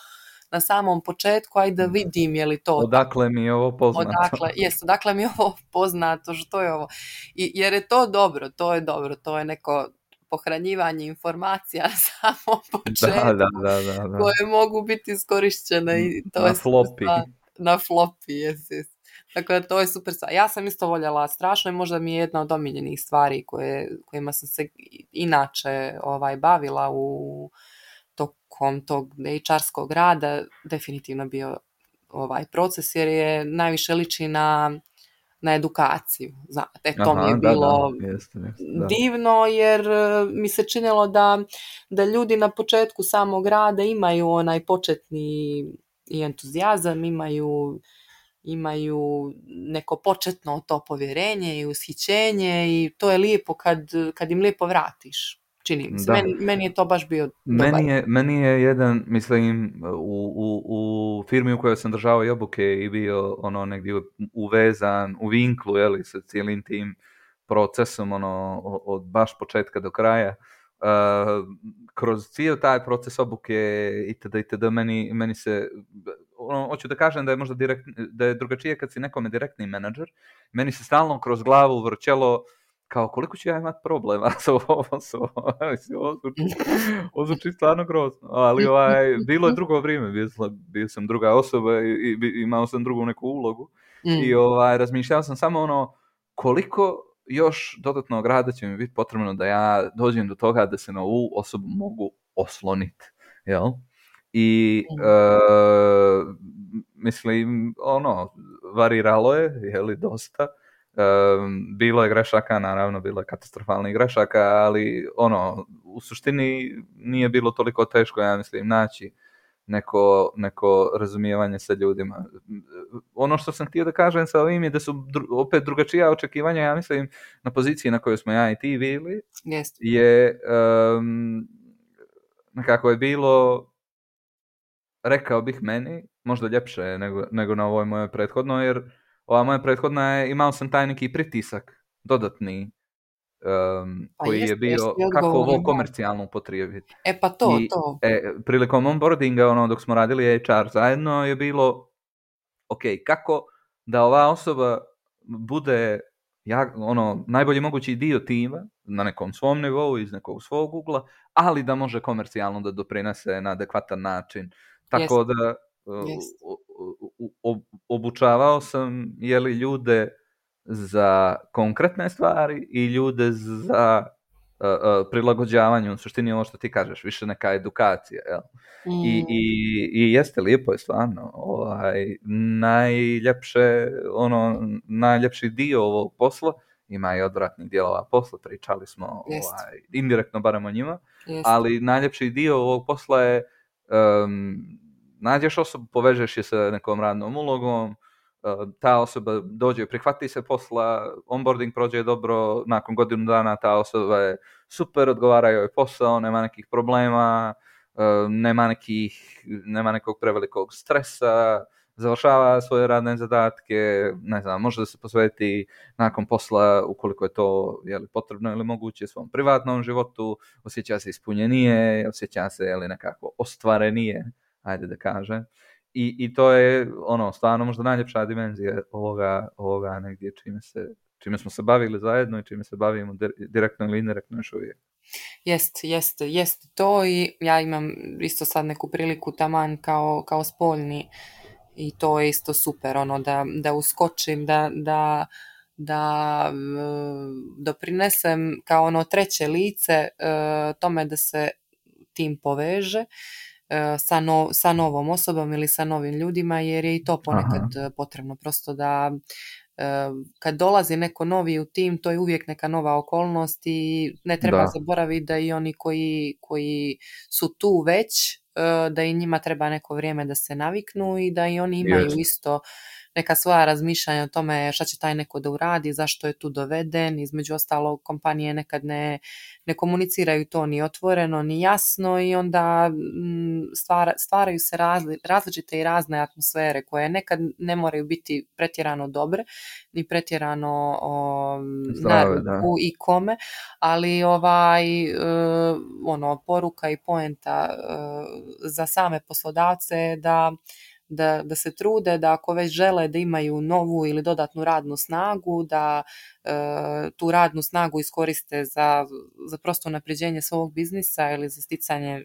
na samom početku, ajde da vidim je li to odakle mi je ovo poznato. Odakle mi je ovo poznato, što je ovo. Jer je to dobro, to je neko pohranjivanje informacija na samom početku da. koje mogu biti iskorišćene i to na je floppy. Na floppy, yes. Dakle, to je super stvar. Ja sam isto voljela strašno i možda mi je jedna od omiljenih stvari kojima sam se inače bavila tokom tog HR-skog rada, definitivno bio proces, jer je najviše liči na edukaciju. Znate, to mi je bilo divno, jer mi se činilo da ljudi na početku samog rada imaju onaj početni i entuzijazam, imaju neko početno to povjerenje i ushićenje i to je lijepo kad im lijepo vratiš. Čini mi se. Meni je to baš bio dobar. Meni je jedan, mislim, u firmi u kojoj sam držao i obuke i bio negdje uvezan u vinklu, sa cijelim tim procesom, od baš početka do kraja. Kroz cijel taj proces obuke itd. Meni se, hoću da kažem da je možda da je drugačije kad si nekome direktni menadžer. Meni se stalno kroz glavu vrćelo kao koliko ću ja imati problema sa ovom osobom. Ovo zvuči stvarno grozno. Ali bilo je drugo vrijeme, bio sam druga osoba i imao sam drugu neku ulogu. I razmišljao sam samo koliko još dodatnog rada će mi biti potrebno da ja dođem do toga da se na ovu osobu mogu osloniti. Jel? I mislim, variralo je, dosta. Bilo je grešaka, naravno, bilo je katastrofalnih grešaka, ali u suštini nije bilo toliko teško, ja mislim, naći neko razumijevanje sa ljudima. Ono što sam htio da kažem sa ovim je da su opet drugačija očekivanja, ja mislim, na poziciji na kojoj smo ja i ti bili, je nekako je bilo, rekao bih meni, možda ljepše nego na ovoj mojoj prethodnoj, jer ova moja prethodna je, imao sam taj neki pritisak dodatni koji je bio kako ovo komercijalno upotrijebiti. Pa to. Prilikom onboardinga, dok smo radili HR zajedno, je bilo kako da ova osoba bude najbolji mogući dio tima na nekom svom nivou, iz nekog svog ugla, ali da može komercijalno da doprinese na adekvatan način. Tako da obučavao sam ljude za konkretne stvari i ljude za prilagođavanje, u suštini ovo što ti kažeš, više neka edukacija. Jel? I jeste, lijepo je stvarno. Najljepši dio ovog posla, ima i odvratnih dijelova posla, pričali smo indirektno barem o njima, ali najljepši dio ovog posla je nađeš osobu, povežeš je sa nekom radnom ulogom, ta osoba dođe, prihvati se posla, onboarding prođe dobro, nakon godinu dana ta osoba je super, odgovara joj posao, nema nekih problema, nema nekog prevelikog stresa, završava svoje radne zadatke, ne znam, može da se posveti nakon posla, ukoliko je to potrebno ili moguće, svom privatnom životu, osjeća se ispunjenije, osjeća se nekako ostvarenije, ajde da kažem. I to je stvarno možda najljepša dimenzija ovoga negdje čime smo se bavili zajedno i čime se bavimo direktno ili indirektno još uvijek. Jest to, i ja imam isto sad neku priliku taman kao spoljni I to je isto super, ono, da uskočim, da doprinesem kao ono treće lice tome da se tim poveže sa novom osobom ili sa novim ljudima, jer je i to ponekad potrebno, prosto da kad dolazi neko novi u tim, to je uvijek neka nova okolnost i ne treba zaboraviti da i oni koji su tu već, da i njima treba neko vrijeme da se naviknu i da i oni imaju isto neka svoja razmišljanja o tome šta će taj neko da uradi, zašto je tu doveden. Između ostalog, kompanije nekad ne komuniciraju to ni otvoreno, ni jasno i onda stvaraju se različite i razne atmosfere koje nekad ne moraju biti pretjerano dobre, ni pretjerano na ruku i kome, ali poruka i poenta za same poslodavce da se trude, da ako već žele da imaju novu ili dodatnu radnu snagu, da tu radnu snagu iskoriste za prosto unapređenje svog biznisa ili za sticanje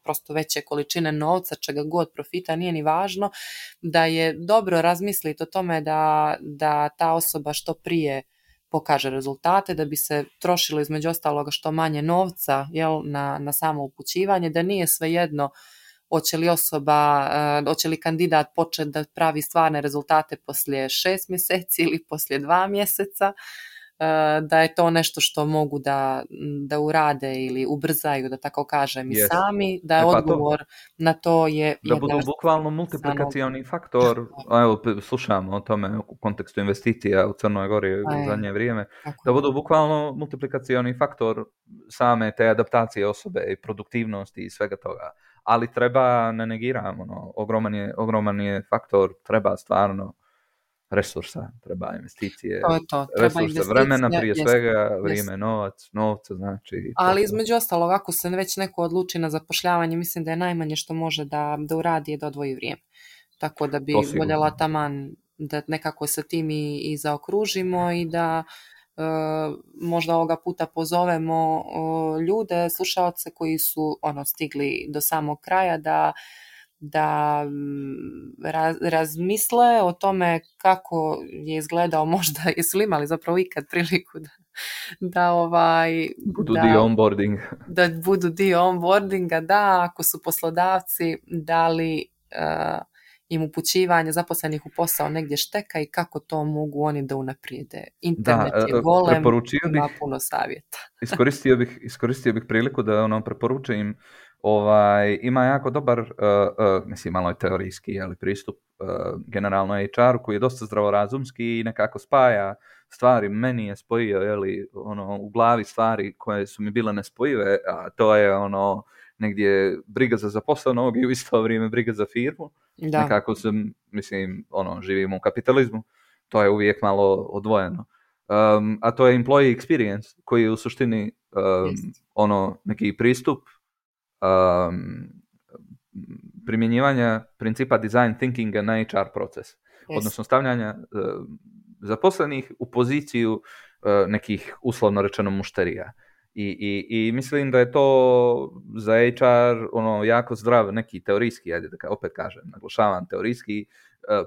prosto veće količine novca, čega god, profita, nije ni važno, da je dobro razmisliti o tome da ta osoba što prije pokaže rezultate, da bi se trošilo između ostaloga što manje novca na samo upućivanje, da nije svejedno hoće li kandidat početi da pravi stvarne rezultate poslije 6 mjeseci ili poslije 2 mjeseca, da je to nešto što mogu da urade ili ubrzaju, da tako kažem, i sami, da je odgovor na to je... Da budu bukvalno multiplikacioni faktor, evo slušamo o tome u kontekstu investicija u Crnoj Gori u zadnje vrijeme, da budu bukvalno multiplikacioni faktor same te adaptacije osobe i produktivnosti i svega toga. Ali treba, ne negiramo, ogroman je faktor, treba stvarno resursa, treba investicije, resursa, vremena prije svega, vrijeme, novca, znači... Ali između ostalog, ako se već neko odluči na zapošljavanje, mislim da je najmanje što može da uradi je da odvoji vrijeme. Tako da bi voljela taman da nekako sa tim i zaokružimo i da možda ovoga puta pozovemo ljude, slušaoce koji su stigli do samog kraja da razmisle o tome kako je izgledao, možda jesu li imali zapravo ikad priliku da budu dio onboarding. Da budu dio onboardinga, da, ako su poslodavci dali im upućivanje zaposlenih u posao negdje šteka i kako to mogu oni da unaprijede. Internet je golem, ima puno savjeta. Iskoristio bih priliku da preporučujem, ima jako dobar, mislim malo je teorijski, ali pristup generalno HR-u koji je dosta zdravorazumski i nekako spaja stvari. Meni je spojio u glavi stvari koje su mi bile nespojive, a to je negdje briga za zaposlenog i u isto vrijeme briga za firmu. Da. Nekako živimo u kapitalizmu, to je uvijek malo odvojeno. A to je employee experience koji je u suštini neki pristup primjenjivanja principa design thinkinga na HR proces. Odnosno stavljanja zaposlenih u poziciju nekih uslovno rečeno mušterija. I mislim da je to za HR jako zdrav neki teorijski, opet kažem, naglašavam teorijski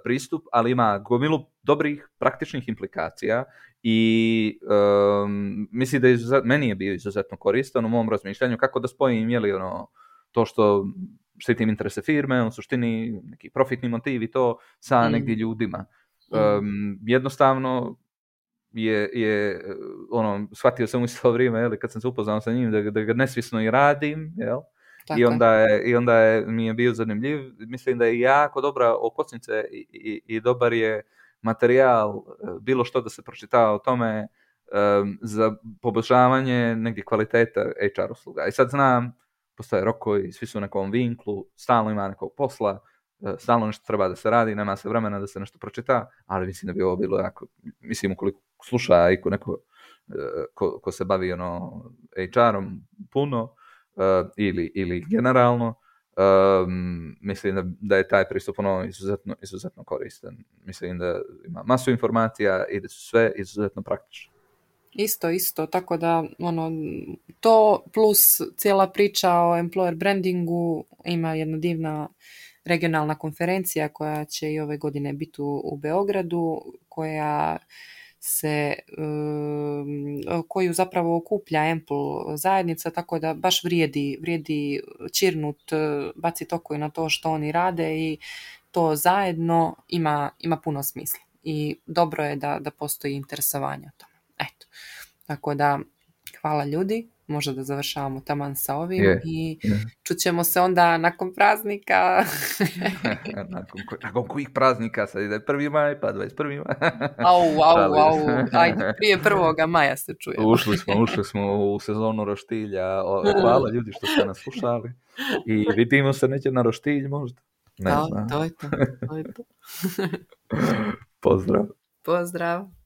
pristup, ali ima gomilu dobrih praktičnih implikacija i mislim da meni je bio izuzetno koristan u mom razmišljanju kako da spojim to što štitim interese firme, u suštini neki profitni motiv i to sa negdje ljudima. Jednostavno je shvatio sam u isto vrijeme, kad sam se upoznao sa njim, da ga nesvjesno i radim, jel? I onda mi je bio zanimljiv. Mislim da je jako dobra okosnica i dobar je materijal, bilo što da se pročita o tome za poboljšavanje negdje kvaliteta HR usluga. I sad znam, postoje rokovi, svi su u nekom vinklu, stalno ima nekog posla, stalno nešto treba da se radi, nema se vremena da se nešto pročita, ali mislim da bi ovo bilo jako, mislim ukoliko sluša i neko ko se bavi HR-om puno ili generalno, mislim da je taj pristup izuzetno koristan. Mislim da ima masu informacija i da su sve izuzetno praktične. Isto, tako da to plus cijela priča o employer brandingu ima jedna divna regionalna konferencija koja će i ove godine biti u Beogradu, koju zapravo okuplja Ample zajednica, tako da baš vrijedi čirnut, baciti oko i na to što oni rade i to zajedno ima puno smisla. I dobro je da postoji interesovanje o tome. Eto. Tako da, hvala ljudi. Možda da završavamo taman sa ovim i čućemo se onda nakon praznika. nakon kojih praznika sad ide 1. maj, pa 21. maj. Au. Ajde, prije 1. maja se čujemo. Ušli smo u sezonu roštilja. Hvala ljudi što ste nas slušali. I vidimo se neće na roštilj možda. Ne znam. To je to. Pozdrav. Pozdrav.